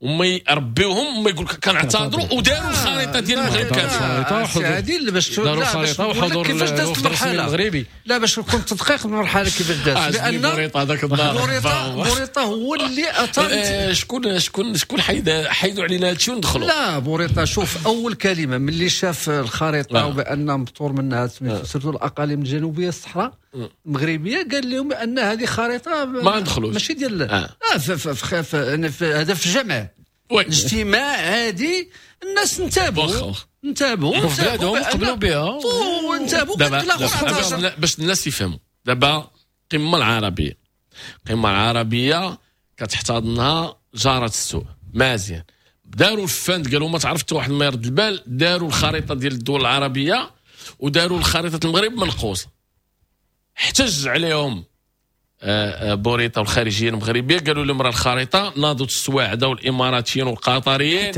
وما يربيوهم وما يقول لك كنعتذروا، وداروا الخريطة ديال المغرب
كاملة. عادل باش
داروا الخريطة وحضور
كيفاش دازت المرحلة
المغربي.
لا باش نكون تدقيق المرحلة كيفاش دازت، لان
بوريطه هذاك النهار
بوريطه بوريطه هو اللي اثار.
شكون شكون شكون حيد حيدوا علينا هادشي وندخلوا؟
لا بوريطه شوف اول كلمة ملي شاف الخريطة وبان مبتور منها surtout الاقاليم الجنوبية الصحراء المغربية، قال لهم بان هذه خريطة
ما ندخلوش
ماشي ديال اه هذا في الجمع اجتماع عادي، الناس انتبهوا انتبهوا
بلادهم قبلوا بها
وانتبهوا.
دابا باش الناس يفهموا، دابا القمه العربية القمه العربية كتحتضنها جاره السوء. مزيان، داروا ال feinte، قالوا ما تعرف حتى واحد ما يرد البال، داروا الخريطة ديال الدول العربية وداروا الخريطة المغرب منقوصه. احتج عليهم آه، آه، بوريطه والخارجية المغربية، قالوا لهم راه الخريطة. ناضوا السواعده والاماراتيين والقطريين،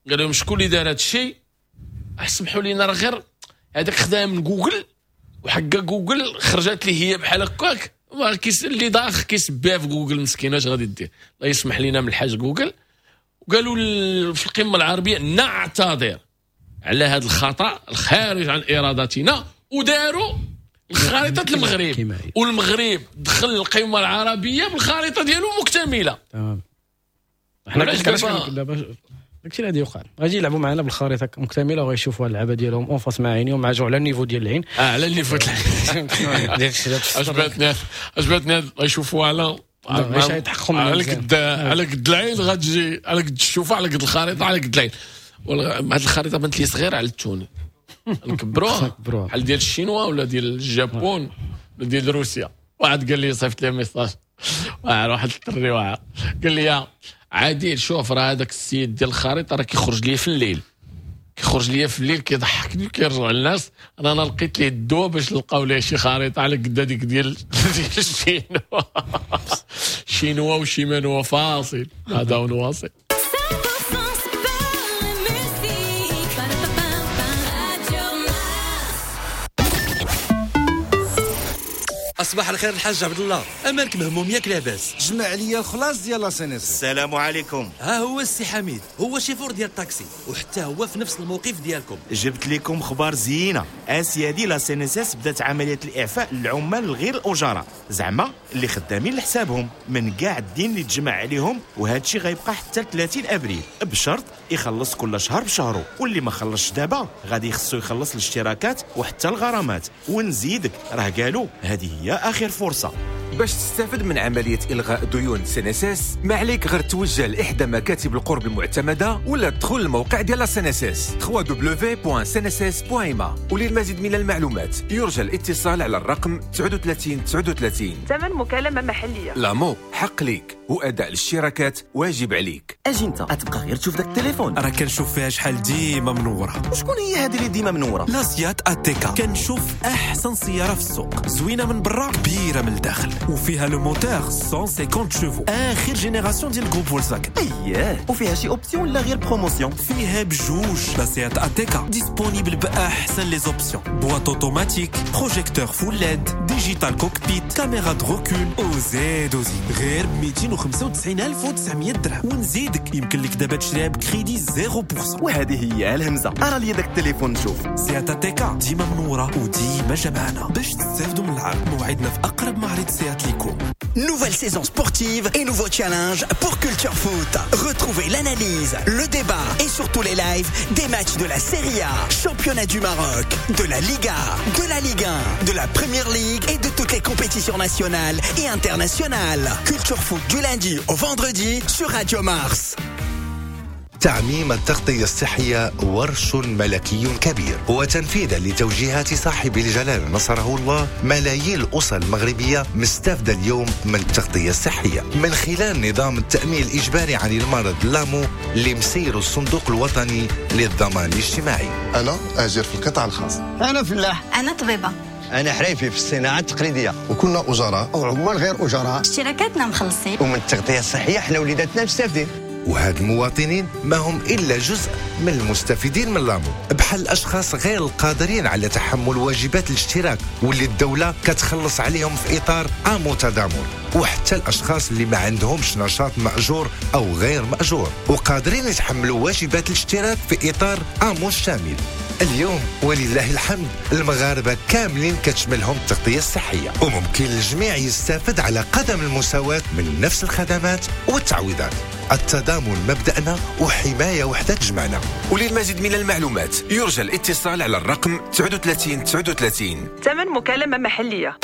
قالوا لهم شكون اللي دار هذا الشيء؟ سمحوا لينا راه غير هذاك خدام من جوجل، وحقا جوجل خرجت لي هي بحال هكاك، اللي داخل كيسبها في جوجل مسكين اش غادي دير؟ الله يسمح لينا من الحاج جوجل. وقالوا في القمه العربية نعتذر على هذا الخطا الخارج عن ارادتنا، وداروا خريطة المغرب، والمغرب دخل القمه العربية بالخريطة ديالو مكتملة.
تمام. حنا دابا داكشي اللي غادي يوقع، غادي يلعبوا معنا بالخريطة مكتملة وغيشوفوا اللعبة ديالهم en face مع عينيهم، مع جو على ال niveau ديال العين.
اه على ال niveau ديال العين. عجبتني عجبتني غيشوفوا على على قد على قد العين غتجي، على قد الشوفه، على قد الخريطة، على قد العين. هاد الخريطة بانت لي صغيرة على التوني، نكبروها بحال ديال الشينوا ولا ديال الجابون ولا ديال روسيا. واحد قال لي صيفط لي message واحد الدري واعر، قال لي عادل شوف راه هذاك السيد ديال الخريطة راه كيخرج لي في الليل، كيخرج لي في الليل كيضحكني وكيرجع للناس. انا انا لقيت ليه الدواء باش نلقاو ليه شي خريطة على قد هذيك ديال ديال الشينوا. شينوا وشيمانوا فاصل هذا ونواصل.
صباح الخير الحاج عبد الله، امالك مهموم ياك لاباس؟
جمع عليا الخلاص ديال la CNSS.
السلام عليكم. ها هو السي حميد، هو شيفور ديال الطاكسي وحتى هو في نفس الموقف ديالكم.
جبت لكم خبار زينة اسيادي، la CNSS بدات عملية الاعفاء للعمال الغير الاجراء، زعما اللي خدامين لحسابهم من كاع الدين اللي تجمع عليهم، وهذا الشيء غيبقى حتى ثلاثين ابريل، بشرط يخلص كل شهر بشهره، واللي ما خلصش دابا غادي يخصو يخلص الاشتراكات وحتى الغرامات. ونزيدك راه قالوا هذه هي آخر فرصة.
باش تستفد من عملية إلغاء ديون CNSS ما عليك غير توجه لإحدى مكاتب القرب المعتمدة ولا تدخل الموقع ديال CNSS دبليو دبليو دبليو دوت سي ان اس اس دوت ام ا. وللمزيد من المعلومات يرجى الاتصال على الرقم تسعة وثلاثين تسعة وثلاثين.
ثمن مكالمة محلية.
l'AMO حق ليك وأداء الاشتراكات واجب عليك.
اجي انت غتبقى غير تشوف داك التليفون،
راه كنشوف فيها شحال ديما منورة.
وشكون هي هذه اللي ديما منورة؟
la SEAT ATECA. كنشوف احسن سيارة في السوق، زوينة من برا كبيرة من الداخل، وفيها le moteur مية وخمسين chevaux، اخر génération ديال groupe Volkswagen.
اييه وفيها شي option لا غير promotion؟
فيها بجوج. la SEAT ATECA disponible باحسن les options، boîte automatique، projecteur full LED، digital cockpit، caméra de recul، وزيد وزيد، غير ب مئتين وخمسة وتسعين ألف وتسعمية درهم. ونزيدك يمكن لك دابا تشريها بكريدي صفر بالمية.
وهذه هي الهمزة. ارى لي داك التليفون نشوف.
SEAT ATECA ديما منورة وديما جمعنا باش تستافدوا من العرض. موعدنا في اقرب معرض SEAT ليكم.
Nouvelle saison sportive et nouveau challenge pour Culture Foot. Retrouvez l'analyse, le débat et surtout les lives des matchs de la Serie A, championnat du Maroc, de la Liga, de la Ligue un, de la Premier League et de toutes les compétitions nationales et internationales. Culture Foot du lundi au vendredi sur Radio Mars.
تعميم التغطية الصحية ورش ملكي كبير، وتنفيذا لتوجيهات صاحب الجلالة نصره الله، ملايين الأسر المغربية مستفدة اليوم من التغطية الصحية من خلال نظام التأمين الإجباري عن المرض l'AMO اللي مسير الصندوق الوطني للضمان الاجتماعي.
أنا أجير في القطاع الخاص،
أنا فلاح، أنا طبيبة،
أنا حريفي في الصناعة التقليدية،
وكنا أجراء
أو عمال غير أجراء،
اشتراكاتنا مخلصين،
ومن التغطية الصحية حنا وليداتنا مستفدين.
وهاد المواطنين ما هم إلا جزء من المستفيدين من l'AMO، بحال الأشخاص غير القادرين على تحمل واجبات الاشتراك واللي الدولة كتخلص عليهم في إطار AMO تضامن، وحتى الأشخاص اللي ما عندهمش نشاط مأجور أو غير مأجور وقادرين يتحملوا واجبات الاشتراك في إطار AMO الشامل. اليوم ولله الحمد المغاربة كاملين كتشملهم التغطية الصحية، وممكن الجميع يستفد على قدم المساواة من نفس الخدمات والتعويضات. التضامن مبدأنا وحماية وحدة تجمعنا.
وللمزيد من المعلومات يرجى الاتصال على الرقم تسعة وثلاثين تسعة وثلاثين.
ثمن مكالمة محلية.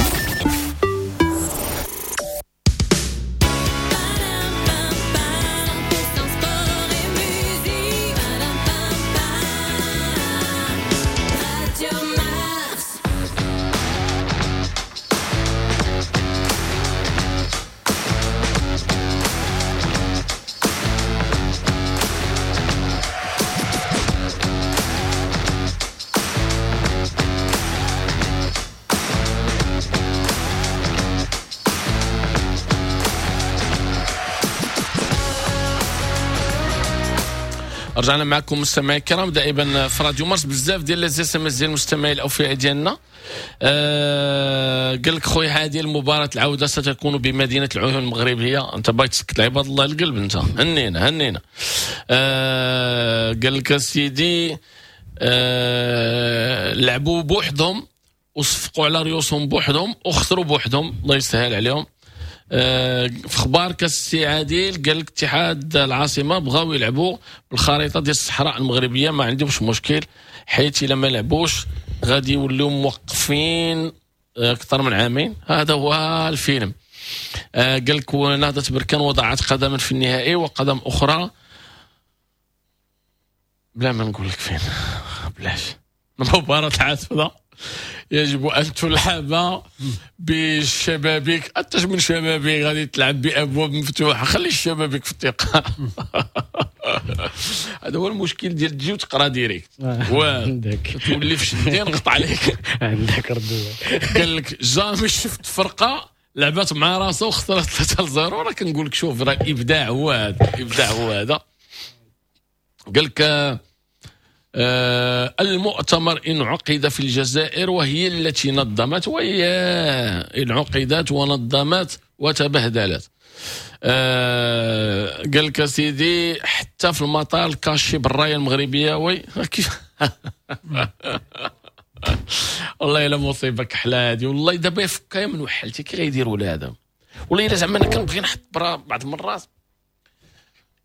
رجعنا معكم مستمعي الكرام دائما في راديو مارس. بزاف ديال les SMS ديال المستمعين الاوفياء ديالنا. آه قال لك خويا هذه المباراة العودة ستكون بمدينة العيون المغربية. انت باغي تسكت عباد الله القلب انت، هنينا هنينا. آه قال لك سيدي آه لعبوا بوحدهم وصفقوا على ريوسهم بوحدهم وخسروا بوحدهم، الله يسهل عليهم. آه في اخبار كاس عادل قال لك اتحاد العاصمة بغاو يلعبوا بالخريطة ديال الصحراء المغربية، ما عندهمش مشكل حيت الا ما لعبوش غادي يوليو موقفين اكثر من عامين. هذا هو الفيلم. آه قال لك نهضة بركان وضعت قدما في النهائي وقدم اخرى بلا ما نقول لك فين، بلاش. مباراة العاصمة يجب ان تلعب بالشبابيك، حتى من شبابيك غادي تلعب بابواب مفتوحة، خلي الشبابيك في الثقة. هذا هو المشكل ديال تجي وتقرا direct تولي في شدين نقطع عليك.
عندك رد.
قال لك jamais شفت فرقه لعبات مع راسها وخسرت ثلاثة لصفر. راه كنقول لك شوف راه الابداع هو هذا، الابداع هو هذا. قال لك آه المؤتمر انعقد في الجزائر وهي التي نظمت، وهي انعقدت ونظمت وتبهدلت. آه قال لك سيدي حتى في المطار ال cachet بالرايه المغربية. oui كيف والله الا مصيبة كحلة هذه. والله دابا يفكا من وحلتي كي غيديروا لهذا. والله الا زعما انا كنبغي نحط برا بعض المرات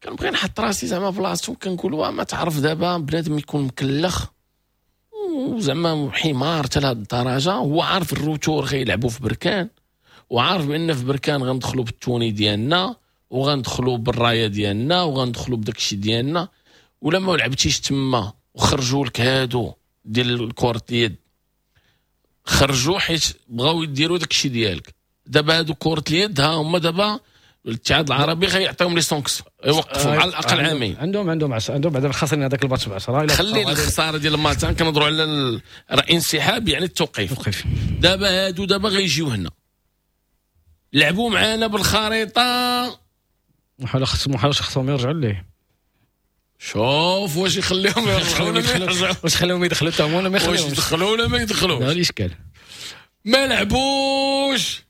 كنبغي نحط راسي زعما بلاصتو، كنقول ما تعرف دابا بنادم يكون مكلخ وزعما حمار حتى لهاد الدرجة، هو عارف ال retour غيلعبوا في بركان، وعارف بان في بركان غندخلوا بال tenue ديالنا وغندخلوا بالرايه ديالنا وغندخلوا بداك الشيء ديالنا، ولا ما لعبتيش تما وخرجوا لك هادو ديال كره اليد، خرجوا حيت بغاو يديروا داك الشيء ديالك. دابا هادو كره اليد ها هما دابا الاتحاد العربي غيعطيهم les sanctions يوقفوا على الاقل عامين.
عندهم عندهم عش... عندهم بعدا خاسرين هذاك الماتش ب عشرة.
خلي الخسارة ديال الماتش كنهضروا على ال... الانسحاب يعني التوقيف.
التوقيف
دابا هادو دابا غيجيو هنا لعبوا معانا بالخريطة،
محال خصهم محال خصهم يرجعوا ليه.
شوف واش يخليهم يرجعوا ولا
واش خليهم يدخلوا حتى هما ولا ما يخليهمش،
واش يدخلوا ولا ما يدخلوش.
هذا الاشكال.
ما لعبوش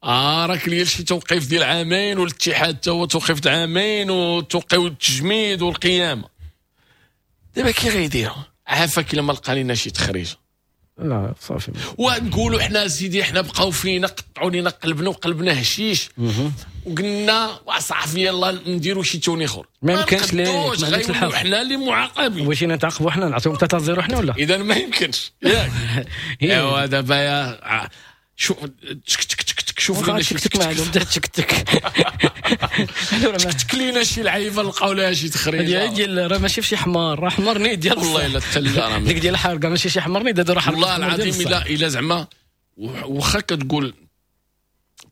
اه راك ليا شي توقيف ديال عامين، والاتحاد حتى هو توقيف عامين، وتوقيف التجميد والقيامه. دابا كي غيديروا عافاك الا ما لقى لينا شي تخريج.
لا صافي
ونقولوا حنا سيدي حنا بقاو فينا قطعوا لينا قلبنا وقلبنا هشيش وقلنا وصافي يلا نديروا شي tenue اخر.
ما يمكنش ليه، ما عندكش الحق،
حنا اللي معاقبين.
واش نتعاقبوا حنا نعطيهم ثلاثة صفر حنا ولا؟
اذا ما يمكنش ياك. ايوا دابا يا شوف تك تك تك تك شوف لينا شي
تك معلوم تك تك
تك لينا شي لعيبة لقاو لها شي تخريجه
ديال راه ماشي في شي حمار، راه حمار نيت ديال
والله الا تلا راه
ديك ديال الحرقة ماشي شي حمار نيت، هادو راه حرقه
والله العظيم. الا الا زعما واخا كتقول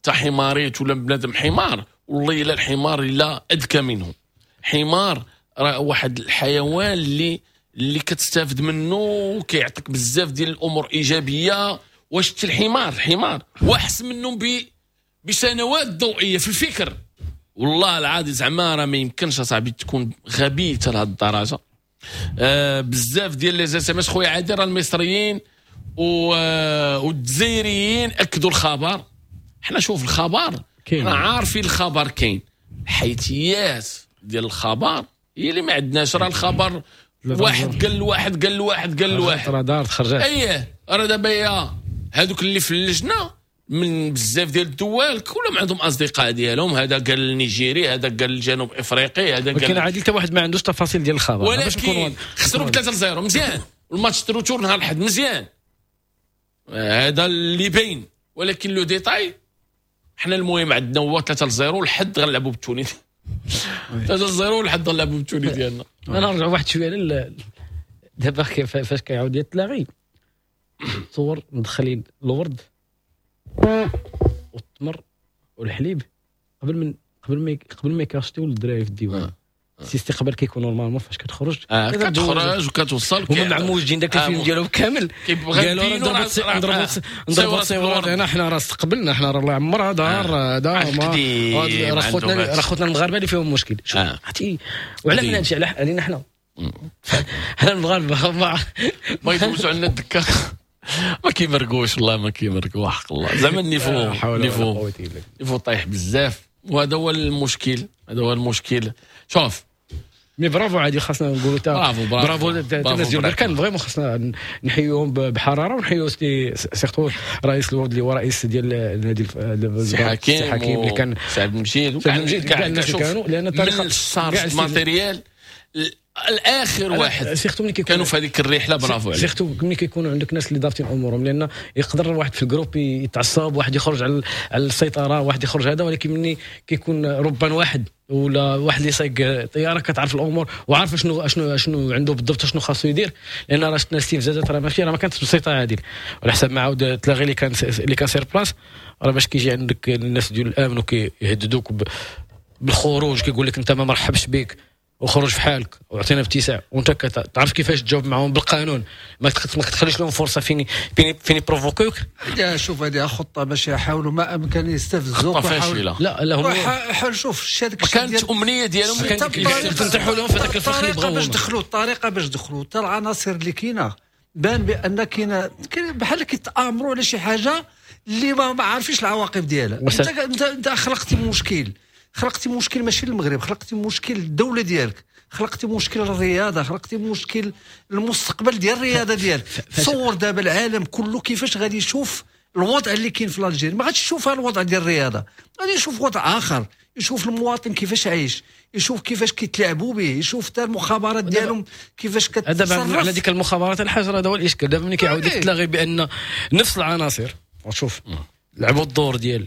تا حماريت ولا بنادم حمار، والله الا الحمار الا اذكى منه. حمار راه واحد الحيوان اللي اللي كتستافد منه وكيعطيك بزاف ديال الامور ايجابية. واش الحمار الحمار واحسن منهم ب بسنوات ضوئية في الفكر. والله العظيم زعما راه ما يمكنش اصاحبي تكون غبي حتى لهاد الدرجة. آه بزاف ديال les SMS خويا عادل، راه المصريين والجزائريين اكدوا الخبر. حنا شوف الخبر حنا عارفين الخبر كاين، الحيثيات ديال الخبر هي اللي ما عندناش. راه الخبر واحد قال لواحد قال لواحد قال لواحد
راه دارت خرجات.
اييه راه دابا يا هادوك اللي في اللجنة من بزاف ديال الدول كلهم عندهم اصدقاء ديالهم، هذا قال النيجيري، هذا قال الجنوب افريقي، هذا قال.
ولكن عادل حتى واحد ما عندوش تفاصيل ديال الخبر.
ولكن خسروا ب ثلاثة صفر مزيان، والماتش retour نهار الاحد مزيان، هذا اللي باين. ولكن le détail حنا المهم عندنا هو ثلاثة صفر الحد غنلعبوا بال tenue ثلاثة صفر الحد غنلعبوا بال tenue ديالنا.
انا نرجع واحد شوية لل دابا فاش كيعاود يتلاغي صور مدخلين الورد والتمر والحليب قبل من قبل ما قبل ما يكاشتيو للدراري في الديوان. سي استقبال كيكون normalement فاش كتخرج
آه كتخرج وكتوصل
هما معموجين داك الفيلم ديالهم كامل، قالوا راه نضربوا نضربوا تصويرات هنا، حنا راه استقبلنا، حنا راه الله يعمرها دار هذا راه خوتنا راه خوتنا المغاربة اللي فيهم مشكل. شوف عرفتي وعلى من هادشي علينا حنا حنا المغاربة ما
ما يدوزوا عندنا الدكة، ما كيمرقوش والله ما كيمرقوا حق الله. زعما ال niveau niveau niveau طايح بزاف، وهذا هو المشكل، هذا هو المشكل. شوف
mais bravo عادي، خاصنا نقولوا تا
bravo bravo
الناس ديال بركان vraiment خاصنا نحيوهم بحرارة، ونحيو surtout رئيس الوفد اللي هو رئيس ديال النادي
السي حكيم،
حكيم اللي كان
سي عبد المجيد
وكاع المجيد كاع الناس كانوا، لان
الطريقة ال charge matériel الاخر واحد
surtout ملي
كانوا في هذيك الرحلة. برافو عليك.
surtout ملي كيكونوا عندك ناس اللي ضابطين امورهم، لان يقدر واحد في ال groupe يتعصب، واحد يخرج على على السيطرة، واحد يخرج هذا، ولكن ملي كيكون ربان واحد ولا واحد اللي سايق طيارة كتعرف الامور وعارف شنو شنو شنو عنده بالضبط، شنو خاصو يدير. لان راه شفنا الاستفزازات راه ماشي راه ما كانتش بسيطة عادل، على حسب ما عاود تلاغي اللي كان اللي كان sur place، راه باش كيجي عندك الناس ديال الامن وكيهددوك بالخروج، كيقول لك انت ما مرحبش بك وخرج في حالك وعطينا ابتساع، وانت كتعرف كيفاش تجاوب معاهم بالقانون، ما تخليش لهم فرصة فين فين فين يبروفوكيوك.
شوف هذه خطه باش يحاولوا ما امكن يستفزوك.
خطه فاشلة.
لا لا هم
حاول شوف الشيء هذاك
كانت امنية ديالهم
تنطيحوا لهم في هذاك الفخ اللي بغاو
باش دخلوا الطريقة، باش دخلوا حتى العناصر اللي كاينه بان بان كاينه بحال كيتامروا على شي حاجة اللي ما عارفينش العواقب ديالها. انت انت خلقتي مشكل، خلقتي مشكل ماشي للمغرب، خلقتي مشكل للدولة ديالك، خلقتي مشكل للرياضة، خلقتي مشكل للمستقبل ديال الرياضة ديالك. تصور دابا العالم كله كيفاش غادي يشوف الوضع اللي كاين في l'Algérie، ما غاديش يشوف الوضع ديال الرياضة، غادي يشوف وضع اخر، يشوف المواطن كيفاش عايش، يشوف كيفاش كيتلاعبوا به، يشوف حتى المخابرات ديالهم كيفاش كتصرف.
على ديك المخابرات الحجر هذا هو الاشكال. دابا ملي كيعاود تلاغي بان نفس العناصر وشوف لعبوا الدور ديال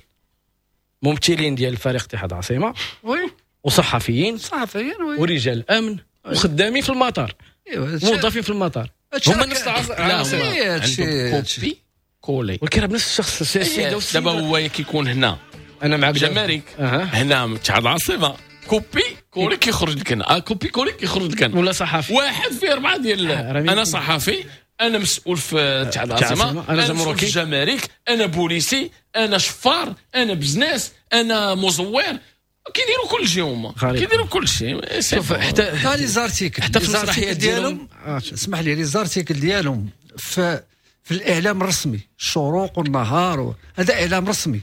ممثلين ديال فريق اتحاد العاصمة
oui
وصحفيين
صحفيين oui
ورجال امن وخدامين في المطار، موظفين في المطار، هما نفس
العناصر. عندهم copier coller،
ولكن راه بنفس الشخص السيد.
دابا هو كيكون هنا
انا معك
جمارك هنا اتحاد العاصمة copier coller كيخرج لك هنا، copier coller كيخرج لك هنا،
ولا صحفي
واحد في اربعة ديال انا صحفي، انا مسؤول في اتحاد العاصمة، انا جمركي جمارك، انا بوليسي، انا شفار، انا business، انا مزور. كيديروا كل شيء هما، كيديروا كل شيء.
شوف حتى
les articles، حتى في المسرحيات ديالهم، اسمح لي les articles ديالهم في في الاعلام الرسمي، الشروق والنهار، هذا اعلام رسمي.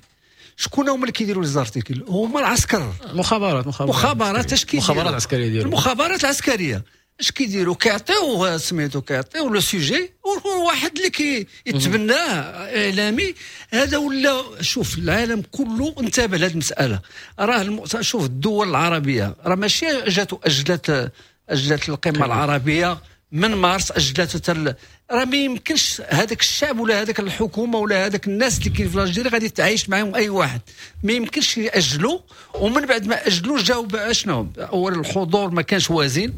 شكون هما اللي كيديروا les articles؟ هما العسكر،
مخابرات مخابرات
مخابرات اش كيديروا؟
المخابرات العسكرية ديالهم،
المخابرات العسكرية اش كيديروا؟ كيعطيو سميتو، كيعطيو le sujet، وواحد اللي كيتبناه اعلامي هذا. ولا شوف العالم كله انتبه لهذه المسالة. راه الم... شوف الدول العربية راه ماشي جات اجلت اجلت القمه العربية من مارس، اجلت تل... راه ما يمكنش هذاك الشعب ولا هذاك الحكومة ولا هذاك الناس اللي كاين في l'Algérie غادي تعايش معاهم اي واحد، ما يمكنش ياجلوا. ومن بعد ما اجلوا جاو اشنو؟ اولا الحضور ما كانش وازن،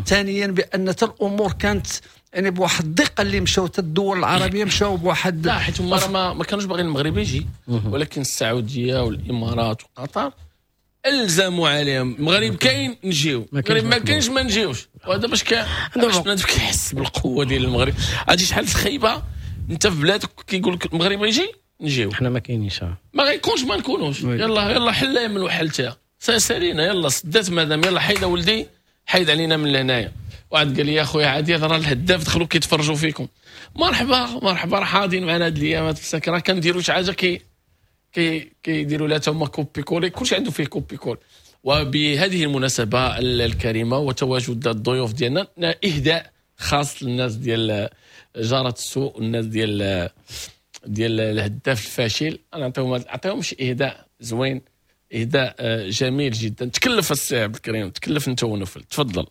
ثانيا بان حتى الامور كانت يعني بواحد الدقة اللي مشاو حتى الدول العربية مشاو بواحد،
لا حيت هما ما, ما كانوش باغيين المغرب يجي، ولكن السعودية والامارات وقطر الزموا عليهم المغرب كاين نجيو، المغرب ما كاينش ما نجيوش. وهذا باش باش بنادم كيحس بالقوة ديال المغرب. عرفتي شحال خايبة انت في بلادك كيقول لك المغرب يجي نجيو،
حنا ما كاينينش،
ما غيكونش ما نكونوش. يلا يلا حلا من وحلتها سالينا، يلا سدات مدام، يلا حيد ولدي حيد علينا من لهنايا. واحد قال لي يا خويا عادي راه الهداف دخلوا كيتفرجوا فيكم. مرحبا مرحبا، راه حاضرين معنا هاد الايامات في السكرة، كنديروا شي حاجة كي كي كيديروا لها تما copier coller، كلشي عنده فيه copier coller. وبهذه المناسبة الكريمة وتواجد الضيوف ديالنا، اهداء خاص للناس ديال جاره السوق والناس ديال ديال الهداف الفاشل. انا نعطيهم نعطيهم شي اهداء زوين، اهداء جميل جدا. تكلف السي عبد الكريم، تكلف انت ونفل، تفضل.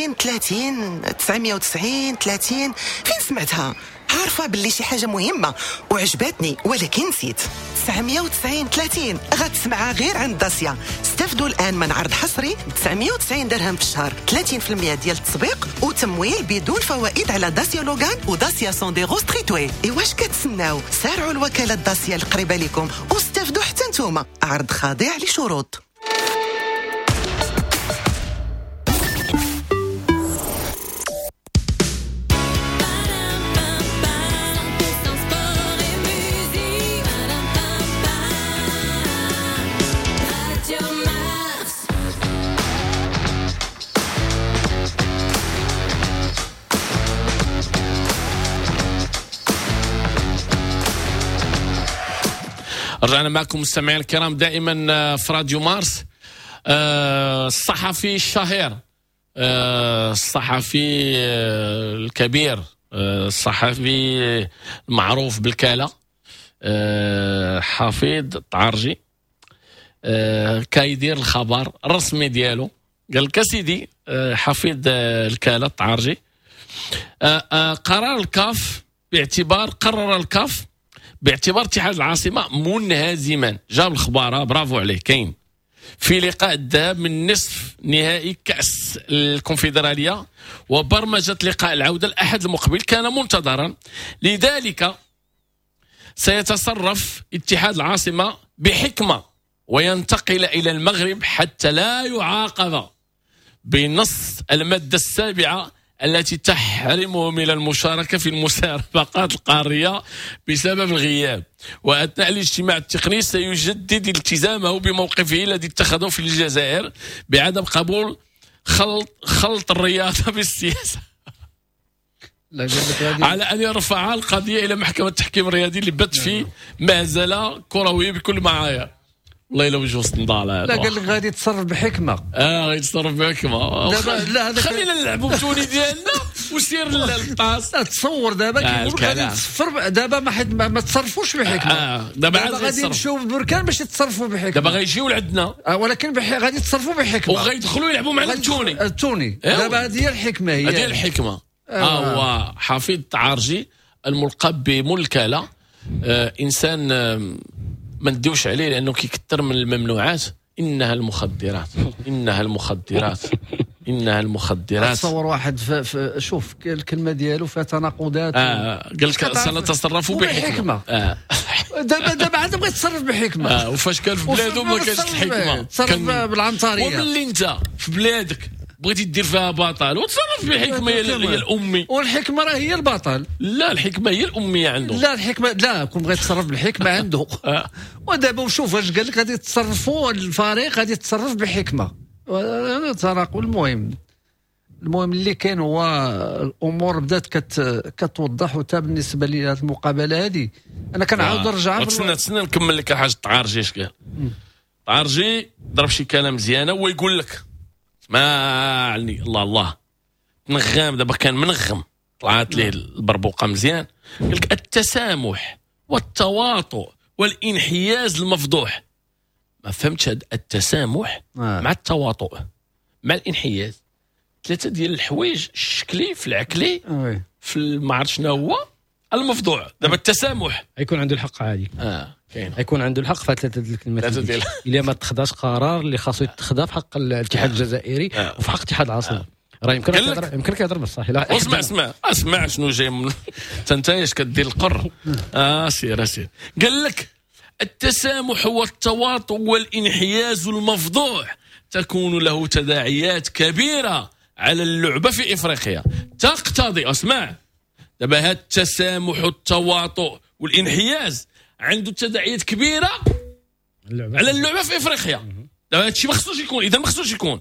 وتسعين ثلاثين تسعمية وتسعين ثلاثين. فين سمعتها؟ عارفة باللي شي حاجة مهمة وعجبتني ولكن نسيت. تسعمية وتسعين ثلاثين غتسمعها غير عند داسيا. استفدوا الآن من عرض حصري تسعمية وتسعين درهم في الشهر، ثلاثين بالمية ديال التسبيق وتمويل بدون فوائد على داسيا لوغان وداسيا سونديرو ستريتوي. إيواش كتسناو؟ سارعوا الوكالة داسيا القريبة لكم واستفدوا حتى نتوما. عرض خاضع لشروط.
رجعنا معكم مستمعينا الكرام دائما في راديو مارس. الصحفي الشهير، الصحفي الكبير، الصحفي المعروف بالكالة، حفيظ الطعرجي، كيدير الخبر الرسمي ديالو. قال لك سيدي حفيظ الكالة الطعرجي، قرار الكاف باعتبار قرر الكاف باعتبار اتحاد العاصمة منهزما. جاب الخبارة، برافو عليه. كاين في لقاء الذهاب من نصف نهائي كأس الكونفدرالية وبرمجة لقاء العودة الأحد المقبل كان منتظرا، لذلك سيتصرف اتحاد العاصمة بحكمة وينتقل إلى المغرب حتى لا يعاقب بنص المادة السابعة التي تحرمه من المشاركة في المسابقات القارية بسبب الغياب. وأثناء الاجتماع التقني سيجدد التزامه بموقفه الذي اتخذه في الجزائر بعدم قبول خلط, خلط الرياضة بالسياسة، على أن يرفع القضية إلى محكمة التحكيم الرياضي اللي بت في مهزلة كروية بكل معايير. والله الا وجهه صندال.
لا قال لك غادي يتصرف بحكمه.
اه غادي يتصرف بحكمه. لا هذا خلينا نلعبوا بتوني ديالنا وسير للطاس.
تصور دابا كيقول لك غادي تصفر دابا ما حد ما تصرفوش بحكمه.
آه دابا
غادي يمشيو بالبركان باش يتصرفوا بحكمه.
دابا غيجيو لعندنا
آه ولكن بح... غادي يتصرفوا بحكمه
وغيدخلوا يلعبوا معنا التوني.
التوني دابا هذه هي الحكمة. هي
هذه الحكمة. آه هو حفيظ الطعرجي الملقب بملكله، آه انسان آه ما نديوش عليه لانه كيكثر من الممنوعات. انها المخدرات، انها المخدرات، انها المخدرات.
تصور واحد في شوف الكلمة ديالو فيها تناقضات.
آه قال لك سنتصرف بحكمه. آه.
دابا دابا عاد بغى يتصرف بحكمه.
آه وفاش كان في بلادو ما كانش الحكمة،
تصرف بالعنطريه.
وملي انت في بلادك بغيتي دير فيها بطل وتصرف بحكمه هي الامي،
والحكمة راه هي البطل.
لا الحكمة هي الامية عنده.
لا الحكمة لا كون بغيت يتصرف بالحكمة عنده. ودابا وشوف واش قال لك غادي يتصرفوا الفريق غادي يتصرف بحكمه. تراقب. المهم المهم اللي كاين هو الامور بدات كت كتوضح. وتا بالنسبة لي هذه المقابلة هذه انا كنعاود نرجع.
تسنى تسنى نكمل لك حاجة. الطعرجي اش قال؟ الطعرجي ضرب شي كلام مزيانه ويقول لك ما عني الله الله تنغم. دابا كان منغم طلعت ليه البربوقه مزيان. قال لك التسامح والتواطؤ والانحياز المفضوح. ما فهمتش هذا التسامح آه. مع التواطؤ مع الانحياز، ثلاثة ديال الحوايج الشكلي في العكلي آه. في ما عرفت شنو هو المفضوع. دابا التسامح
يكون عنده الحق عادي.
اه كاين
يكون عنده الحق في ثلاثة ديال الكلمات الا ما اتخذش قرار اللي خاصو يتخذ في حق الاتحاد الجزائري آه. وفي حق اتحاد العاصمة. آه. راه يمكن يهضر يمكن يهضر بصح.
لا اسمع اسمع اسمع شنو جاي من انت اش كدير القر. اه سير سير. قال لك التسامح والتواطؤ والانحياز المفضوح تكون له تداعيات كبيرة على اللعبة في افريقيا تقتضي. اسمع دابا هذا التسامح والتواطؤ والانحياز عنده تداعيات كبيرة اللعبة. على اللعبة في افريقيا. دابا هادشي ما خصوش يكون، اذا ما خصوش يكون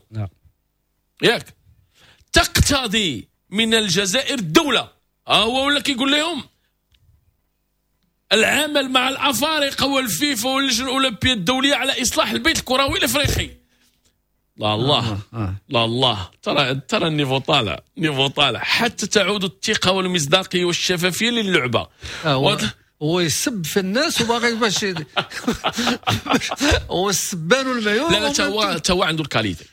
ياك. تقتضي من الجزائر الدولة، ها هو ولا كيقول لهم العمل مع الافارقة والفيفا واللجنة الاولمبية الدولية على اصلاح البيت الكروي الافريقي. لا الله لا الله، ترى ترى ال niveau طالع، niveau طالع حتى تعود الثقة والمصداقيه والشفافيه للعبة.
آه هو يسب في الناس وباغي باش هو السبان والمعيور.
لا لا تا هو تا هو عنده ال qualité.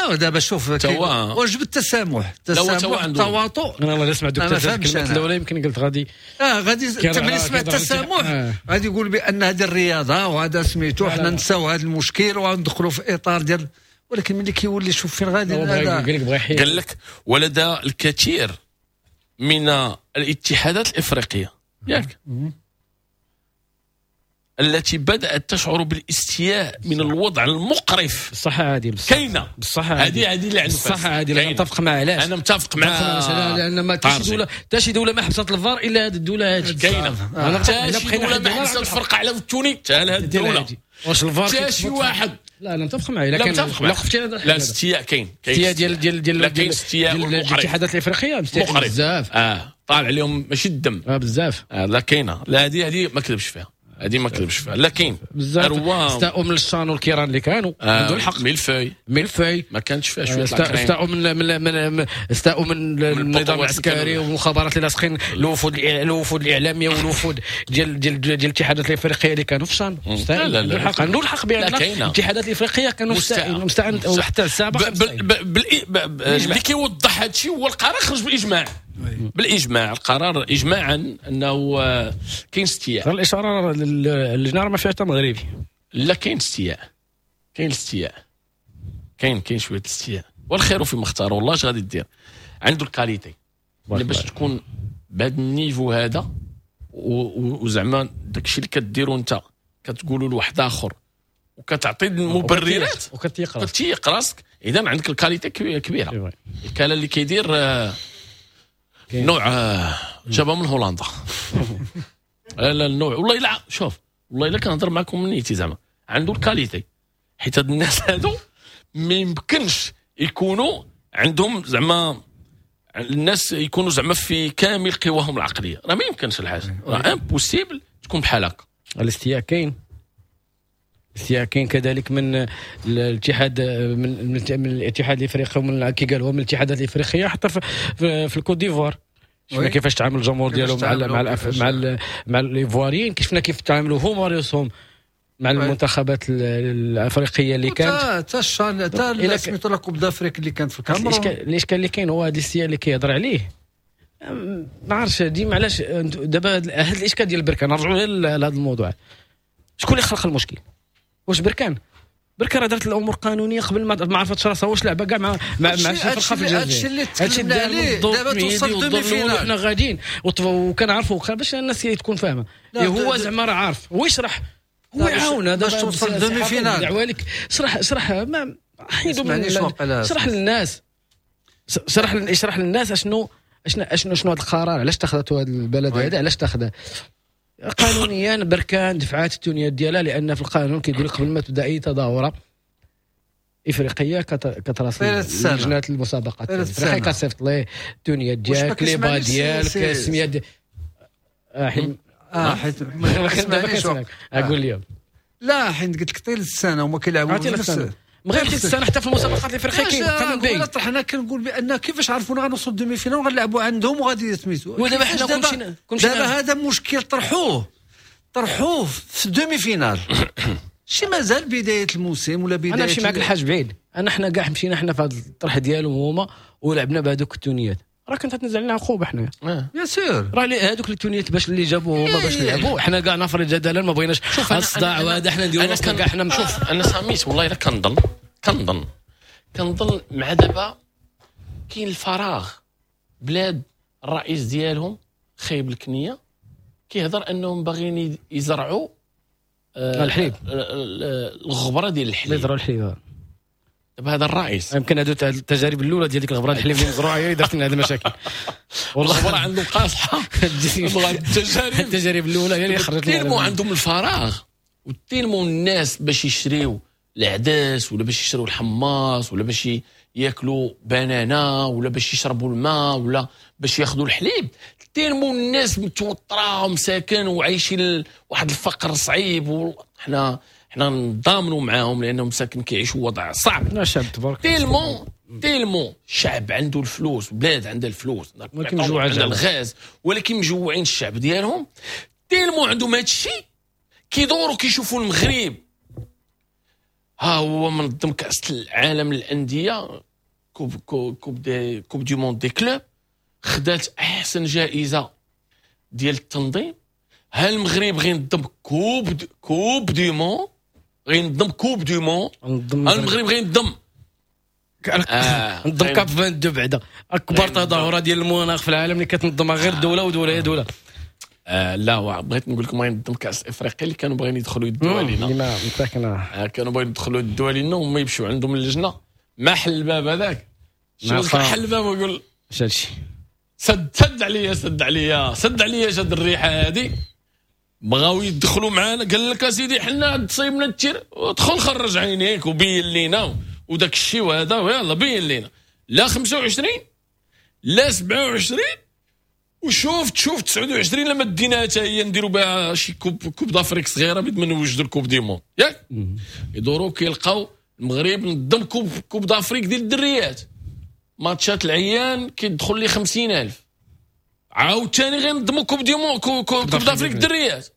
اه دابا شوف واجب التسامح، التسامح التواطؤ.
انا والله سمعت دوك ثلاث الكلمات الاولى يمكن قلت غادي
اه غادي انت ملي سمعت التسامح غادي يقول بان هذه الرياضة وهذا سميتو حنا نساو هذا المشكل وغندخلوا في اطار ديال، ولكن ملي كيولي شوف فين غادي هذا.
قال لك ولدى الكثير من الاتحادات الافريقية ياك التي بدأت تشعر بالاستياء من الوضع المقرف.
بصح عادي
كاينه
بصح
هذه هذه اللي عنده
بصح عادي. انا متفق مع علاش
انا متفق مع
لان ما حتى شي دولة حتى شي دولة ما حبست الفار الا هذه الدولة هذه
كاينه. حتى شي دولة ما حبست الفرقة على التوني حتى هذه الدولة.
واش الفار
حتى شي واحد؟
لا انا متفق معاه. الا كان لا خفتي
لا الاستياء كاين
كاين ديال ديال ديال
ديال
الاتحادات الافريقية
بزاف اه طالع عليهم ماشي الدم
اه بزاف.
لا كاينه لا هذه هذه ما كذبش فيها هذه ما كذبش فيها. لا كاين
بزاف استاءوا من الشان والكيران اللي كانوا
آه
عندهم الحق.
mille-feuille
mille-feuille
ما كانتش فيها شوية
استاءوا من من من استاءوا من النظام العسكري والمخابرات اللي لاصقين الوفود الوفود الاعلامية والوفود ديال ديال ديال الاتحادات الافريقية اللي كانوا في الشان.
لا لا
عندهم الحق عندهم الحق بان الاتحادات الافريقية كانوا مستعد وحتى السابق.
اللي كيوضح هذا الشيء هو القرار خرج بالاجماع. بالاجماع القرار اجماعا انه كاين استياء.
الاشارة اللجنة راه ما فيها حتى مغربي.
لا كاين استياء كاين استياء كاين كاين شوية الاستياء والخير فيما اختار. والله اش غادي دير عنده ال qualité اللي باش تكون بهذا ال niveau هذا وزعما داكشي اللي كديرو انت كتقولوا لواحد اخر وكتعطي المبررات
وكتيق راسك
كتيق راسك. اذا عندك ال qualité كبيرة. الكاله اللي كيدير نوع جابها من هولندا. لا لا النوع والله الا شوف والله الا كنهضر معكم من نيتي زعما عنده ال qualité حيت هاد الناس هادو ما يمكنش يكونوا عندهم زعما الناس يكونوا زعما في كامل قواهم العقلية. راه ما يمكنش الحاجة راه impossible تكون بحال هكا.
الاستياء كاين الاستياء كاين كذلك من الاتحاد من من الاتحاد الافريقي ومن كي قالوا من الاتحادات الافريقية حتى في, في, في الكوت ديفوار. شفنا كيفاش تعامل الجمهور ديالهم مع مع مع مع الايفواريين، شفنا كيف تعاملوا هما ريوسهم مع المنتخبات الافريقية اللي كانت
حتى الشان حتى سميتو la Coupe d'Afrique اللي كانت في الكاميرون.
الاشكال اللي كاين هو هذا الاستياء اللي كيهضر عليه ما عرفتش ديما علاش دابا هذا الاشكال ديال بركان. نرجعوا لهذا الموضوع، شكون اللي خلق المشكل؟ واش بركان؟ بركان راه دارت الامور قانونية قبل ما عرفتش راسها واش لعبه كاع مع مع مع شي فرقه في الجزائر.
هادشي اللي تكلمنا عليه دابا توصل demi-finale
حنا غاديين وكنعرفوا باش الناس تكون فاهمه. هو زعما راه عارف هو يشرح هو يعاون
باش توصل demi-finale.
دعوه لك شرح شرح ما حيدوا من شرح للناس شرح اشرح للناس اشنو اشنو اشنو شنو هذا القرار، علاش اتخذته هذا البلد هذا، علاش اتخذه قانونيا. بركان دفعات التونيات ديالها لان في القانون كيقول قبل ما تبدا اي تظاهرة افريقية كتراسل لجنة المسابقات الافريقية كتصيفط ليه التونيات ديالك les bas ديالك السمية ديال
اه حيت
اقول لي
لا حيت قلت لك طيل السنة وما كيلعبوا نفس
مغير السنة حتى في المسابقات الافريقية كاين قانون باين.
طرحنا كنقول بان كيفاش عرفونا غنوصلوا demi-finale وغنلعبوا عندهم وغادي سميتو.
ودابا حنا كلشي
كلشي دابا هذا مشكل طرحوه طرحوه في demi-finale شي مازال بداية الموسم ولا بداية.
انا نمشي معاك الحاج بعيد. انا حنا كاع مشينا حنا في هذا الطرح ديالهم هما ولعبنا بهذوك التونيات راه كانت تنزل علينا عقوبه حنا
bien sûr.
راه هذوك التونيات باش اللي جابوه هما باش نلعبوا حنا كاع نفرض جدلا ما بغيناش الصداع وهذا حنا نديروا راسنا كاع حنا.
شوف انا ساميت والله الا كنظن كنظن كنظن مع دابا كاين الفراغ. بلاد الرئيس ديالهم خايب الكنية كيهضر انهم باغيين يزرعوا آه
الحليب
الغبرة ديال الحليب
يزرعوا الحليب.
دابا هذا الرئيس
يمكن هادو التجارب الاولى ديال ديك الغبرة الحليب اللي مزروعة هي اللي دارت لنا هاد المشاكل.
والله الغبرة عندهم قاصحة. التجارب
التجارب الاولى هي اللي خرجت
لنا. tellement عندهم الفراغ و tellement الناس باش يشريو العدس ولا باش يشريو الحماص ولا باش ياكلوا بنانه ولا باش يشربوا الماء ولا باش ياخذوا الحليب. tellement الناس متوترة ومساكن وعايشين واحد الفقر صعيب. وحنا حنا نضامنوا معاهم لانهم مساكن كيعيشوا وضع صعب.
لا شعب تبارك
tellement tellement شعب عنده الفلوس، بلاد عندها الفلوس
ولكن مجوع
عندها الغاز ولكن مجوعين الشعب ديالهم. tellement عندهم هذا الشيء كيدوروا كيشوفوا المغرب ها هو منظم كاس العالم للاندية، coupe coupe des coupe du monde des clubs، خدات احسن جائزة ديال التنظيم. ها المغرب غينظم coupe coupe du monde، غينظم coupe du monde، المغرب غينظم
آه. نظم CAP اثنين وعشرين بعدا، اكبر تظاهرة ديال المناخ في العالم اللي كتنظمها غير دولة ودولة هي دولة.
آه لا، بغيت نقول لكم غينظم كاس افريقيا اللي كانوا باغيين يدخلوا يدوا علينا.
اللي ما
آه كانوا باغيين يدخلوا يدوا علينا وما يمشيو عندهم اللجنة، ما حل الباب هذاك، حل الباب ويقول
اش هادشي،
سد سد عليا سد عليا سد عليا، جاد الريحة هذه. بغاو يدخلوا معانا، قال لك اسيدي حنا تصيبنا ال terrain، ادخل خرج عينيك وبين لينا وداك الشيء وهذا، ويلا بين لينا لا خمسة وعشرين لا سبعة وعشرين، وشوف تشوف تسعة وعشرين لما ديناها حتى هي نديروا بها شي coupe coupe d'Afrique صغيرة بيد ما نوجدوا ال coupe du monde، ياك يدوروا كيلقاو المغرب نظم coupe coupe d'Afrique ديال الدريات، ماتشات العيان كيدخل لي خمسين ألف، عاوتاني غينظموا coupe du monde coupe d'Afrique الدريات،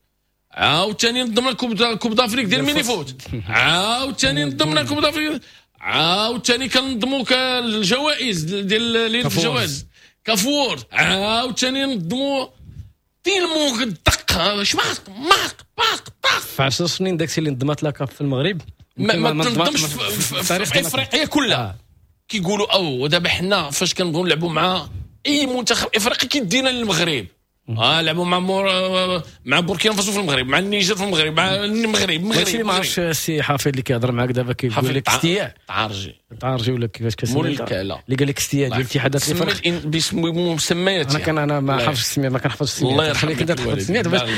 عاوتاني نظمنا coupe coupe d'Afrique ديال mini-foot، عاوتاني نظمنا coupe d'Afrique، عاوتاني كنظموا الجوائز ديال ليلة الجوائز كافور، عاوتاني نظموا tellement دق شماق ماق باق طاق.
في عشر سنين داكشي اللي نظمت la CAF في المغرب
ما, ما تنظمش في, في, في افريقيا كلها. كيقولوا او دابا حنا فاش كنبغيو نلعبوا مع اي منتخب افريقي كيدينا للمغرب، اه لعبوا مع مور... مع بوركينا فاسو في المغرب، مع النيجر في المغرب، مع المغرب المغرب.
هادشي اللي ما عرفتش السي حفيظ اللي كيهضر معاك دابا كيقول لك استياء
تعرجي
تعرجي ولا كيفاش كتسمى اللي قال لك استياء ديال الاتحادات
الافريقية باسم مسميات.
انا كان انا ما حافظش السمية، ما كنحفظش السمية،
الله يخليك
انت تحفظ السمية. دابا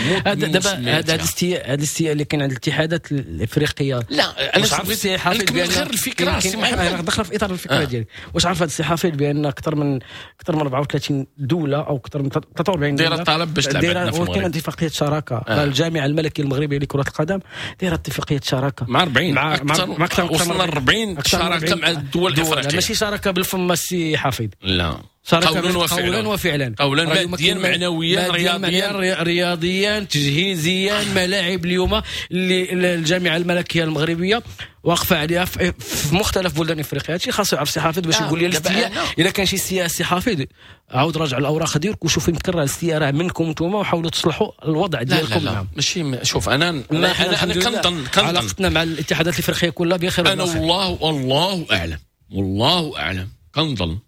هذا الاستياء هذا الاستياء اللي كاين عند الاتحادات الافريقية،
لا انا
عارف السي حفيظ
بان غير الفكرة سي محمد
دخل في اطار الفكرة ديالي. واش عارف هذا السي حفيظ بان اكثر من اكثر من أربعة وثلاثين دولة او اكثر من ثلاثة وأربعين
دولة طالب باش تلعب عندنا في المغرب،
كاين اتفاقية شراكة. آه. الجامعة الملكية المغربية لكرة القدم دايرة اتفاقية شراكة
مع أربعين
مع
مع اكثر وصلنا أربعين شراكة مع الدول الافريقية.
ماشي شراكة بالفم السي حفيظ،
لا
شراكة قولا وفعلا، وفعلا
قولا ماديا معنويا رياضيا
رياضيا تجهيزيا. ملاعب اليوم اللي الجامعة الملكية المغربية واقفة عليها في مختلف بلدان افريقيا. هادشي خاصو يعرف سي حفيظ باش يقول لي الاستياء. الا كان شي استياء سي حفيظ عاود راجع الاوراق ديالك وشوف يمكن راه الاستياء راه منكم نتوما، وحاولوا تصلحوا الوضع ديالكم.
لا لا لا ماشي. شوف انا انا انا كنظن
علاقتنا مع الاتحادات الافريقية كلها بخير.
انا والله والله اعلم والله اعلم كنظن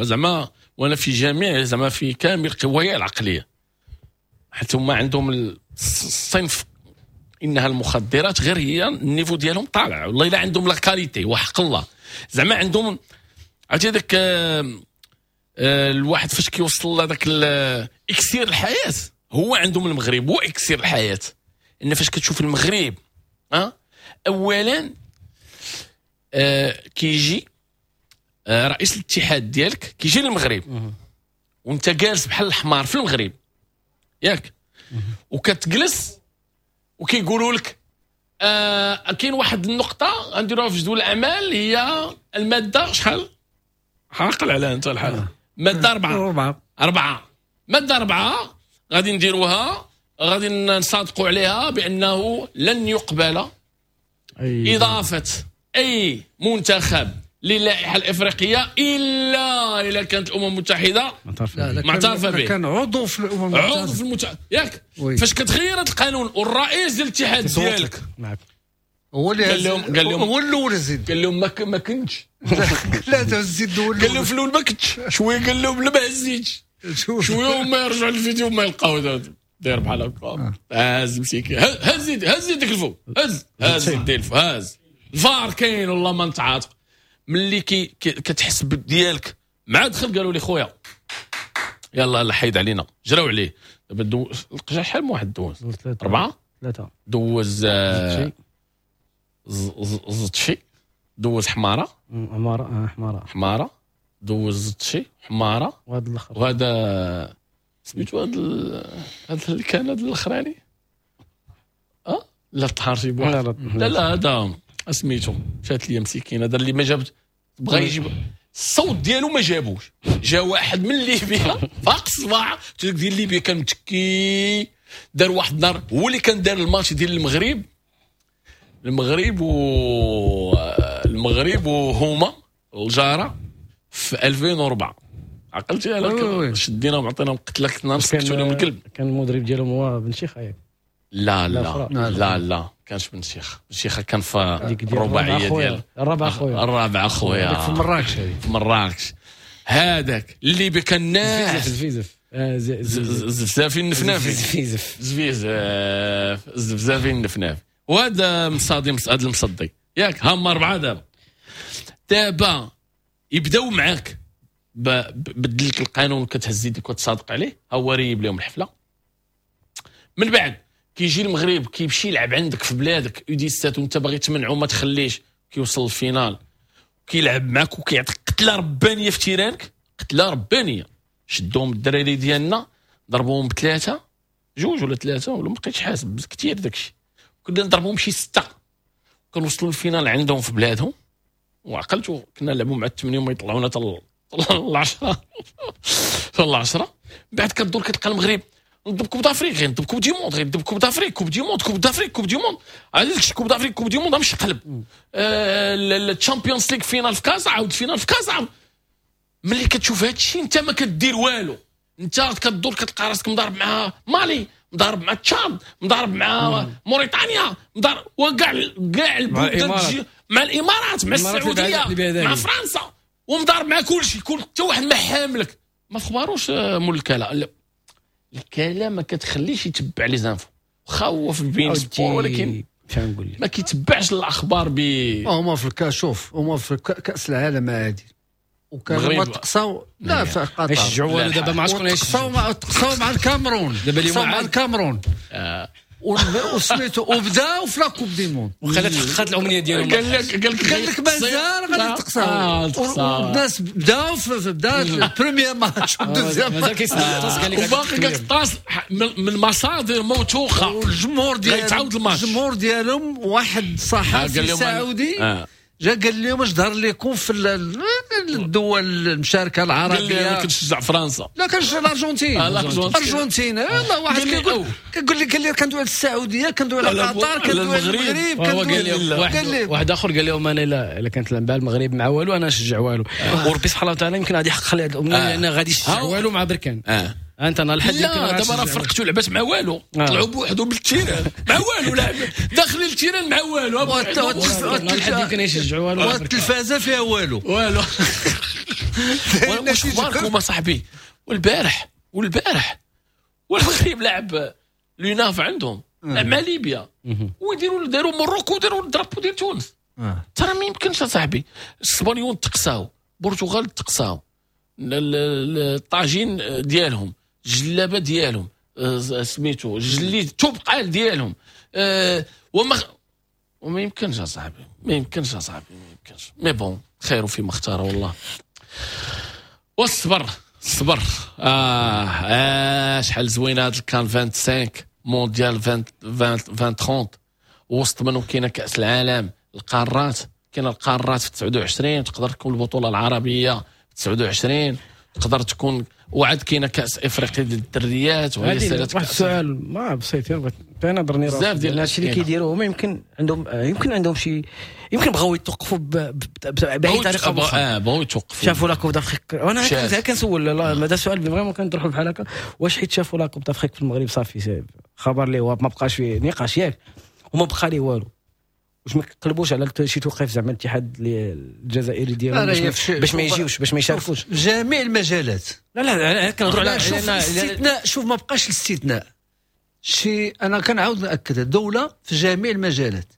زعما وانا في جميع زعما في كامل قوايا العقلية، حيت هما عندهم الصنف انها المخدرات غير هي ال niveau ديالهم طالع والله الا عندهم la qualité وحق الله زعما عندهم. عرفتي هذاك الواحد فاش كيوصل لهذاك اكسير الحياة، هو عندهم المغرب هو اكسير الحياة. ان فاش كتشوف المغرب ها اولا آه كيجي آه رئيس الاتحاد ديالك كيجي للمغرب وانت جالس بحال الحمار في المغرب ياك، وكتجلس وكيقولوا لك آه كاين واحد النقطة غنديروها في جدول الاعمال هي المادة شحال عاقل عليها انت الحال، مادة أربعة أربعة مادة أربعة غادي نديروها غادي نصادقوا عليها بانه لن يقبل اضافه اي منتخب للائحه الافريقية الا الا كانت الامم المتحدة معترفة به،
كان عضو في الامم المتحدة،
عضو في المتحدة ياك. فاش كتغير هذا القانون والرئيس ديال الاتحاد ديالك
هو اللي
قال لهم قال لهم
هو الاول زيد،
قال لهم ما ما كنتش
لا تزيد هو
قال لهم في الاول ما كنتش شوية، قال لهم لا ما هزيتش شوية، وما يرجعوا للفيديو ما يلقاو داير بحال هكا هز مسكين هز هز يدك الفوق هز هز يدي الفوق هز الفار كاين والله ما نتعاطف. ملي كي كتحس ديالك مع دخل قالوا لي خويا يلا لا حيد علينا جراو عليه. دابا دو... القجع شحال من واحد دوز أربعة
ثلاثة
دوز زطشي دوز حماره
حماره حماره
حماره دوز زطشي حماره
وهذا الاخر
وهذا سميتو هذا هذا اللي كان هذا الاخراني اه لا طحارشي بواحد لا لا هذا سميتو مشات لي مسكين هذا اللي ما جابت بغى يجيب الصوت ديالو ما جابوش، جا واحد من ليبيا فاق الصباح ديال ليبيا كان متكي دار واحد النهار هو اللي كان دار الماتش ديال المغرب المغرب و المغرب وهما الجاره في ألفين وأربعة عقلتي على شديناهم عطيناهم قتله كنا نسكتوا لهم الكلب.
كان المدرب ديالهم هو بن شيخ ياك؟
لا لا لا لا, لا. كانش بن شيخ. بن شيخ كان في الرباعية ديال
الرابعة خويا
الرابعة خويا
في مراكش هذيك
في مراكش هذاك اللي كان ناس
زفيزف
زفزافي النفنافي
زفيزف
زفيزف زفزافي النفنافي وهذا مصادي هذا المصدي ياك هما اربعة دابا دابا يبداو معاك بدل لك القانون كتهز يدك وتصادق عليه ها هو ريب لهم الحفلة. من بعد كيجي المغرب كيمشي يلعب عندك في بلادك U dix-sept وانت باغي تمنعو ما تخليش كيوصل لل finale كيلعب معاك وكيعطيك قتله ربانية في terrain ك قتله ربانية. شدوهم الدراري ديالنا ضربوهم بثلاثة جوج ولا ثلاثة ولا ما بقيتش حاسب كثير داكشي كنا نضربوهم شي ستة كنوصلوا لل finale عندهم في بلادهم وعقلتوا كنا نلعبوا مع الثمانية وما يطلعونا حتى العشرة حتى العشرة. بعد كدور كتلقى المغرب نضرب Coupe d'Afrique غير نضرب Coupe du monde غير نضرب Coupe d'Afrique Coupe du monde Coupe d'Afrique Coupe du monde علاش Coupe d'Afrique Coupe du monde مش قلب ال Champions League finale في كازا عاود finale في كازا. ملي كتشوف هذا الشيء انت ما كدير والو انت كدور كتلقى راسك مضارب مع مالي مضارب مع تشاد مضارب مع موريتانيا مضارب وكاع كاع البلدان مع الامارات مع السعودية مع فرنسا ومضارب مع كل شيء كل حتى واحد ما حاملك ما فخباروش مول الكلا. الكلا ما كتخليش يتبع les infos واخا هو في beIN Sports ولكن ما كيتبعش الاخبار ب
هما في الكاشوف هما في كاس العالم عادي وكانوا ما تقصاو لا في قطر
يشجعوا والو دابا ما عرفتش شكون
يشجعوا مع تقصاو مع الكاميرون
دابا اليوم
مع الكاميرون وسميتو وبداو في la Coupe du monde
وخلات حققت الامنية ديالهم.
قال لك قال لك
قال لك مازال غادي تقصاو الناس بداو في بدا ال premier match وال deuxième
مازال كيستنى
قال لك وباقي كطاس من مصادر موثوقة
والجمهور ديالهم الجمهور ديالهم واحد صحفي سعودي جا قال لهم اش ظهر لكم في الدول المشاركة العربية
قال لي انا كنشجع فرنسا
لا كنشجع الارجنتين الارجنتين يلاه واحد كيقول كيقول لي قال لي كندوي على السعودية كندوي على قطر كندوي على المغرب
كندوي واحد اخر قال لهم انا لا الا كانت لعب المغرب مع والو انا نشجع والو وربي سبحانه وتعالى يمكن غادي يحقق لي هذه الامنية لان غادي يشجع والو مع بركان. انت انا الحد
لا دابا راه فرقتو لعبات مع والو طلعوا بوحدهم بال terrain مع والو لعب داخلين ال terrain مع والو
الحد يمكن يشجعوا والو
والتلفازه فيها والو
والو. واش اخباركم اصاحبي؟ والبارح والبارح والمغرب لعب l'UNAF عندهم لعب مع ليبيا ويديروا داروا Maroc وداروا ال drapeau ديال تونس. ترى ما يمكنش اصاحبي الاسبانيون تقساو البرتغال تقساو الطاجين ديالهم الجلابه ديالهم سميتو الجليد التبقال ديالهم أه وما وما يمكنش اصاحبي ما يمكنش اصاحبي ما يمكنش mais bon خير فيما اختار والله. والصبر الصبر اه, آه شحال زوينة هاد ال CAN خمسة وعشرين مونديال عشرين ثلاثين وسط منهم كاينه كاس العالم القارات كاينه القارات في تسعة وعشرين تقدر تكون البطولة العربية في تسعة وعشرين تقدر تكون وعد كاينه كاس افريقيا ديال الدريات وهي سالات.
واحد السؤال ما بسيط انا ضرني راسي
بزاف ديال
هادشي اللي كيديروه هما يمكن عندهم يمكن عندهم شي يمكن بغاو يتوقفوا باي طريقه
اخرى اه بغاو يتوقفوا
شافوا la Coupe d'Afrique. وانا كنسول هذا سؤال vraiment كنطرحوا بحال هكا واش حيت شافوا la Coupe d'Afrique في المغرب صافي خبر لي هو ما بقاش فيه نقاش ياك وما بقى ليه والو واش ما كيقلبوش على شي توقيف زعما الاتحاد الجزائري ديالهم باش, باش ما يجيوش باش ما يشاركوش
جميع المجالات؟
لا لا كنهضروا على
شوف الاستثناء شوف ما بقاش الاستثناء شي انا كنعاود ناكد الدولة في جميع المجالات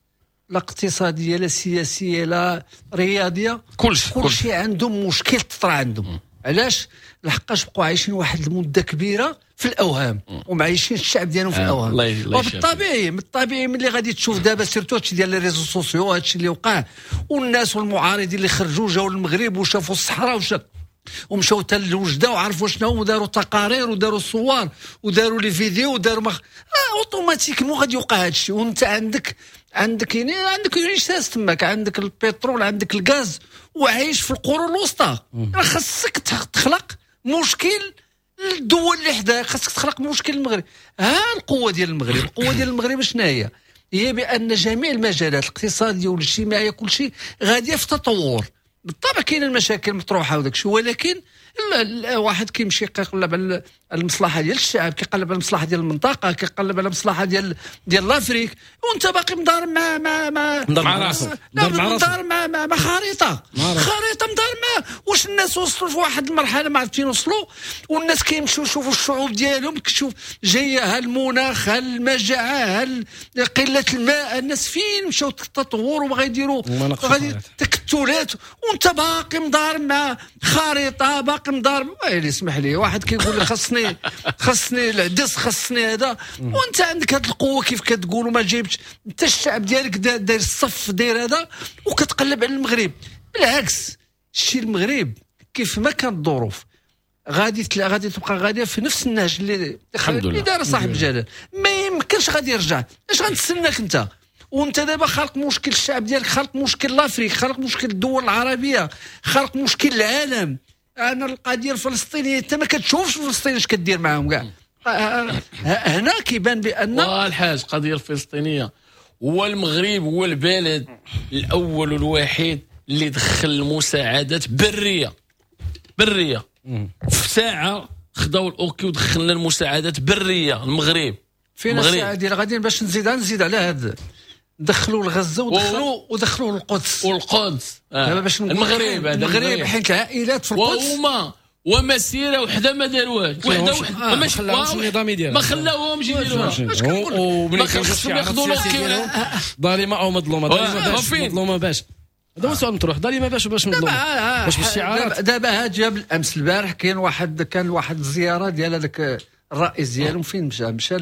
لا اقتصادية لا سياسية لا رياضية
كلشي
كلشي عندهم مشكل تطرا عندهم. علاش؟ لحقاش بقوا عايشين واحد المدة كبيرة في الاوهام ومعايشين الشعب ديالهم في الاوهام. وبالطبيعي من الطبيعي ملي غادي تشوف دابا surtout هادشي ديال les réseaux sociaux هادشي اللي وقع والناس والمعارضين اللي خرجوا جاوا للمغرب وشافوا الصحراء وشافوا ومشاو حتى لوجده وعرفوا شنو وداروا تقارير وداروا صور وداروا les vidéos وداروا مخ... آه automatiquement غادي يوقع هادشي. وانت عندك عندك يعني عندك richesse تماك عندك البترول عندك الغاز وعايش في القرون الوسطى. راه خاصك تخلق مشكل الدول اللي حداك، خاصك تخلق مشكل المغرب. ها القوة ديال المغرب، القوة ديال المغرب شنو هي؟ هي بان جميع المجالات الاقتصادية والاجتماعية كل شيء غادية في تطور. بالطبع كاين المشاكل مطروحة وداك الشيء، ولكن واحد كيمشي كيقلب على المصلحة ديال الشعب، كيقلب على المصلحة ديال المنطقة، كيقلب على المصلحة ديال ديال l'Afrique، وانت باقي مدار مع مع مع
مع راسك،
مدار مع مع, مع خريطة خريطة مدار مع واش الناس وصلوا في واحد المرحلة ما عرفتين وصلوا، والناس كيمشيو يشوفوا الشعوب ديالهم، كتشوف جاية ها المناخ ها المجاعة ها قلة الماء، الناس فين مشاو التطور وبغا يديروا غادي تكتلات، وانت باقي مدار مع خريطة، باقي مدار. ويلي اسمح لي، واحد كيقول لي خاصني خاصني العدس خاصني هذا، وانت عندك هذه القوة كيف كتقول وما جايبش انت الشعب ديالك داير الصف داير هذا وكتقلب على المغرب. بالعكس الشيء المغرب كيف ما كانت الظروف غادي غادي تبقى غادية في نفس النهج اللي اللي دار صاحب الجلاله، ما يمكنش غادي يرجع. اش غنتسناك انت؟ وانت دابا خلق مشكل الشعب ديالك، خلق مشكل l'Afrique، خلق مشكل الدول العربية، خلق مشكل العالم. انا القضية الفلسطينية انت ما كتشوفش فلسطين اش كدير معاهم كاع. هنا كيبان بان
والحاج القضية الفلسطينية هو المغرب هو البلد الاول والوحيد اللي دخل المساعدات برية برية في ساعة، خداو ال OK ودخلنا المساعدات برية المغرب.
فين الساعة ديال غاديين باش نزيد نزيد على هذا، دخلوا لغزة ودخلوا ودخلوا للقدس
والقدس آه.
باش
المغرب هذا
المغرب حيت العائلات في القدس
وهما ومسيره وحده ما داروهاش، وحده وحده ما
خلاوهمش النظام ديالها،
ما خلاوهمش يديروها.
وملي
خصهم ياخذوا l'OK
ظالمه او مظلومة، ظالمه باش مظلومة باش، هذا هو السؤال مطروح، ظالمه باش باش مظلومة باش بالشعارات.
دابا هاد جاب الامس البارح كاين واحد كان واحد الزيارة ديال هذاك الرئيس ديالهم، فين مشى مشى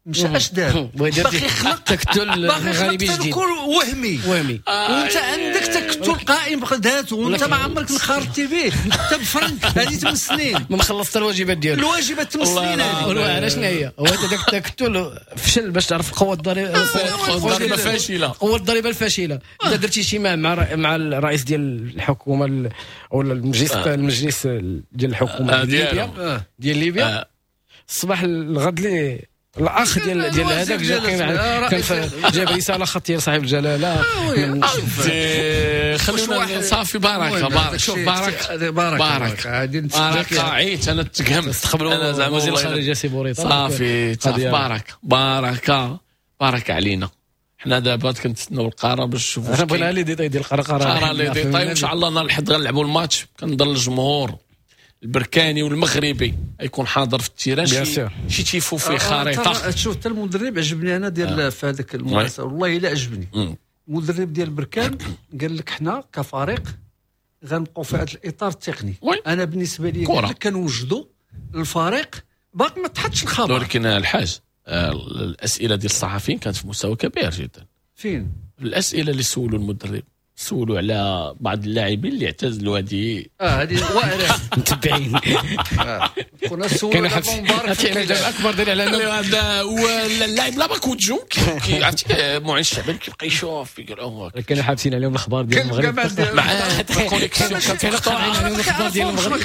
مشى اش دار؟ باقي خلق
تكتل مغربي جديد
وهمي
وهمي،
وانت عندك تكتل قائم بذاته وانت ما عمرك انخرطتي به انت بفرنك هذه ثمان سنين
ما خلصت الواجبات ديالك،
الواجبات ثمان سنين
هذه. علاش شنو هي؟ هو هذاك التكتل فشل باش تعرف القوة الضريبة،
القوة الضريبة فاشلة،
القوة الضريبة الفاشلة. انت درتي اجتماع مع مع الرئيس ديال الحكومة او المجلس المجلس ديال الحكومة ديال ليبيا ديال ليبيا الصباح الغد لي الاخ ديال ديال هذاك جا كان جاب رسالة خطيه لصاحب الجلاله.
خلونا صافي بركة بارك شوف بركة بركة بركة عيت انا تقهم
استقبلوا
انا زعما
وزير الخارجية سي بوريطه
صافي بركة بركة بركة علينا. حنا دابا كنتسناو القرار باش نشوفوا.
انا بغينا les détails ديال القرار،
قرار les détails وان شاء الله نهار الحد غنلعبوا الماتش. كنظن الجمهور البركاني والمغربي يكون حاضر في ال terrain، شي شي تيفو فيه خريطة.
شوف حتى المدرب عجبني انا ديال في هذاك المناسبة، والله الا عجبني المدرب ديال بركان. قال لك حنا كفريق غنبقاو في هذا الاطار التقني. انا بالنسبة لي قال لك كنوجدوا الفريق باقي ما تحطش الخبر.
ولكن الحاج الاسئلة ديال الصحفيين كانت في مستوى كبير جدا.
فين
الاسئلة اللي سولوا المدرب؟ سولوا على بعض اللاعبين اللي اعتزلوا هذه
اه هذه واعرة
متبعين.
كنا سولوا
على اكبر دليل على
انه هذا هو اللاعب لا باكوتجو كي عرفتي معين الشعباني كيبقى يشوف يقول اوه
كانوا حابسين عليهم الاخبار ديال المغرب
مع connexion
كانوا قاطعين عليهم الاخبار ديال المغرب.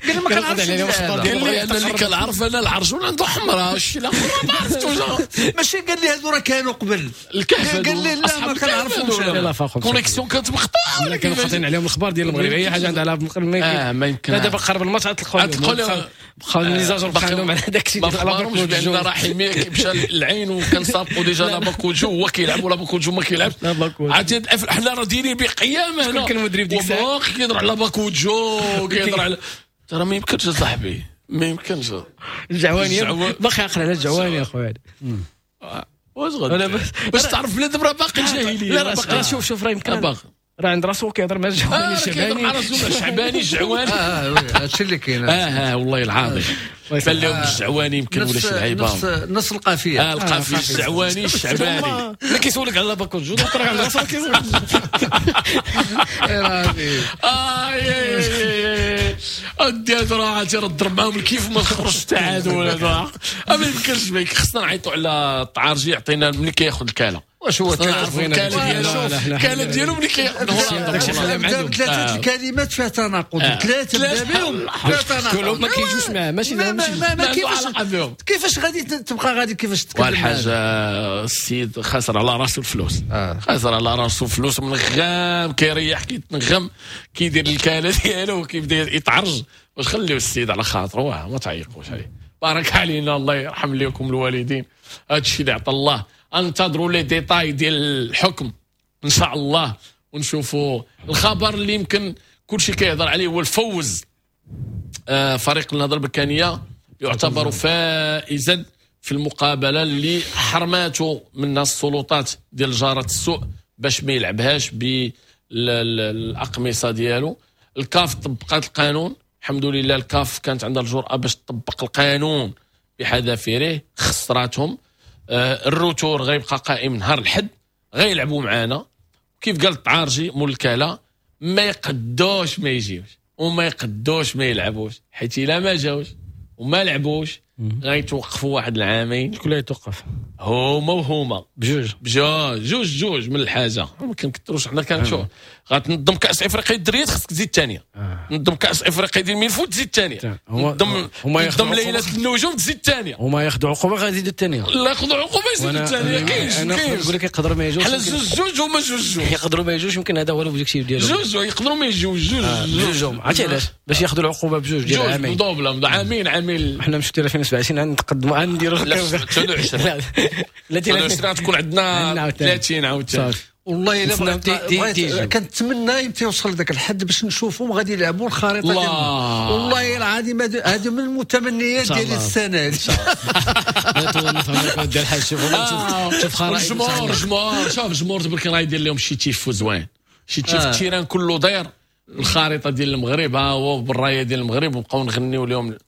قال ما كنعرفش
قال لي انا اللي كنعرف انا العرجون عنده حمراء الشيء الاخر ما عرفتوش.
ماشي قال لي هذو راه كانوا قبل
الكهف
قال لي لا ما كنعرفهمش
connexion كانت مقطوعة.
لا كانوا قاطعين عليهم الاخبار ديال المغرب اي حاجة عندها المغرب
ما ما يمكن.
دابا قرب الماتش غتلقاو بقاو les agents بقاو عندهم على داك الشيء
ديال لاباكوجو. بان رحيمي مشى للعين وكان سابقو déjà لاباكوجو هو كيلعب ولا باكوجو ما كيلعبش. عرفتي حنا راه دايرين بقيامه هنا.
كان المدرب ديك الساعة
باقي كيهضر على باكوجو كيهضر على ترى ما يمكنش صاحبي ما يمكنش.
الجعواني باقي عاقل على الجعواني اخويا.
واش غادي باش تعرف بلاد راه باقي الجاهلية.
لا راه شوف شوف راه يمكن راه عند راسو كيهضر مع الجعواني
الشعباني. مع راسو الشعباني الجعواني.
اه هادشي اللي كاين.
اه اه والله العظيم بان لهم الجعواني يمكن ولا شي لعيبة
نفس نفس القافيه.
اه القافيه الجعواني الشعباني
اللي كيسولك على باكوجو donc راه عند راسو كيسولك.
اه ادي هادو راه عرفتي راه ضرب معاهم الكيف ما تخرجش حتى هادو ولا ما يمكنش. خصنا نعيطوا على الطعارجي يعطينا ملي كياخذ الكاله
واش هو
الكلام ديالو ملي
كيهولندا ثلاثة الكلمات فيها تناقض، ثلاثة بدا بهم فيها تناقض،
كلهم ما كيجوش معاه. ماشي
ما كيفاش كيفاش غادي تبقى غادي كيفاش تتكلم.
والحاج السيد خسر على راسو الفلوس، خسر على راسو الفلوس من غام كيريح كيتنغم كيدير الكاله ديالو وكيبدا يتعرج. واش خليو السيد على خاطرو، ما تعيقوش عليه. بارك علينا، الله يرحم لكم الوالدين. هذا الشيء اللي عطى الله. انتظروا les détails ديال الحكم ان شاء الله ونشوفوا الخبر اللي يمكن كل شيء كيهضر عليه هو الفوز. آه فريق النهضة البركانيه يعتبر فائزا في المقابلة اللي حرماته منها السلطات ديال جاره السوء باش ما يلعبهاش بالاقمصه ديالو. الكاف طبقات القانون، الحمد لله. الكاف كانت عندها الجرأة باش تطبق القانون بحذافيره، خسراتهم. آه ال retour غيبقى قائم نهار الحد، غيلعبوا معانا. كيف قال الطعارجي مول الكاله، ما يقدوش ما يجيوش وما يقدوش ما يلعبوش، حيت الا ما جاوش وما لعبوش غيتوقفوا واحد العامين.
شكون اللي يتوقف؟
هما وهما
بجوج
بجوج جوج جوج من الحاجة. ما كنكثروش حنا كنشوف. غتنظم كاس افريقيا الدريات خصك تزيد الثانية، نظم كاس افريقيا ديال الميلفوت تزيد الثانية، نظم نظم ليلة النجوم تزيد الثانية.
هما ياخذوا عقوبه غيزيدوا الثانية.
لا ياخذوا عقوبه يزيدوا الثانية. كاينش
كاينش نقول لك يقدروا ما يجوش.
حنا جوج جوج هما جوج جوج
يقدروا ما يجوش، يمكن هذا هو l'objectif ديالهم.
جوج يقدروا ما يجوش جوج
جوج. عرفتي علاش؟ باش ياخذوا العقوبة بجوج ديال عامين
double، عامين عامين.
حنا مشينا ألفين وسبعة وعشرين نتقدموا نديروا
تسعة وعشرين لا تسعة وعشرين تكون عندنا ثلاثين عاوتاني.
والله الا بغيت كنتمنى يمتى يوصل لذاك الحد باش نشوفهم غادي يلعبوا الخريطة ديالهم. والله العظيم هذه من المتمنيات ديال السنة ان
شاء الله. ديال الحاج شوف شوف خرائط
الجمهور الجمهور شوف الجمهور تبارك الله يدير لهم شي تيفو زوين، شي تيف ال terrain كله داير الخريطة ديال المغرب، ها هو بالرايه ديال المغرب، وبقاو نغنيو لهم.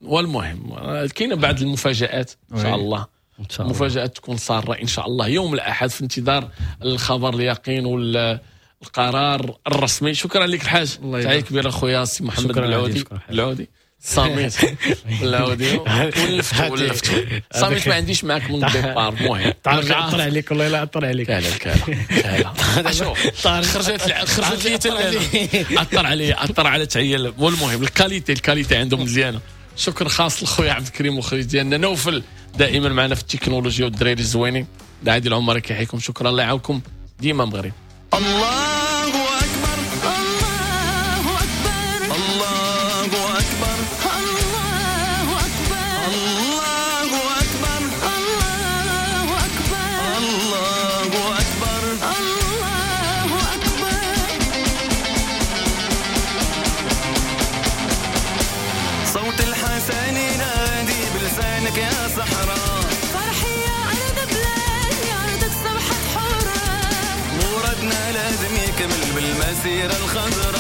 والمهم كاينه بعض المفاجآت ان شاء الله، المفاجآت تكون ساره ان شاء الله يوم الاحد، في انتظار الخبر اليقين والقرار الرسمي. شكرا لك الحاج، تحية كبيرة اخويا السي محمد بالعودي. بالعودي صامت بالعودي ولفت ولفت صامت ما عنديش معاك من ال départ. المهم
طلع عليك والله لا اطلع عليك.
لا لا لا شوف خرجت خرجت لي اثر علي اثر على تعيل. والمهم ال qualité ال qualité عندهم مزيانه. شكر خاص لخويا عبد الكريم مخرج ديالنا نوفل دائما معنا في التكنولوجيا والدراري الزوينين. عادل العمري كيحييكم، شكرا، الله يعاونكم ديما مغرب.
الله اكبر الله اكبر الله اكبر الله اكبر الله اكبر الله اكبر الله اكبر الله اكبر. صوت الحسن ينادي بلسانك يا صحراء،
فرحي يا أرض بلادي أرضك صبحت حرة،
مرادنا لازم يكمل بالمسيرة الخضراء.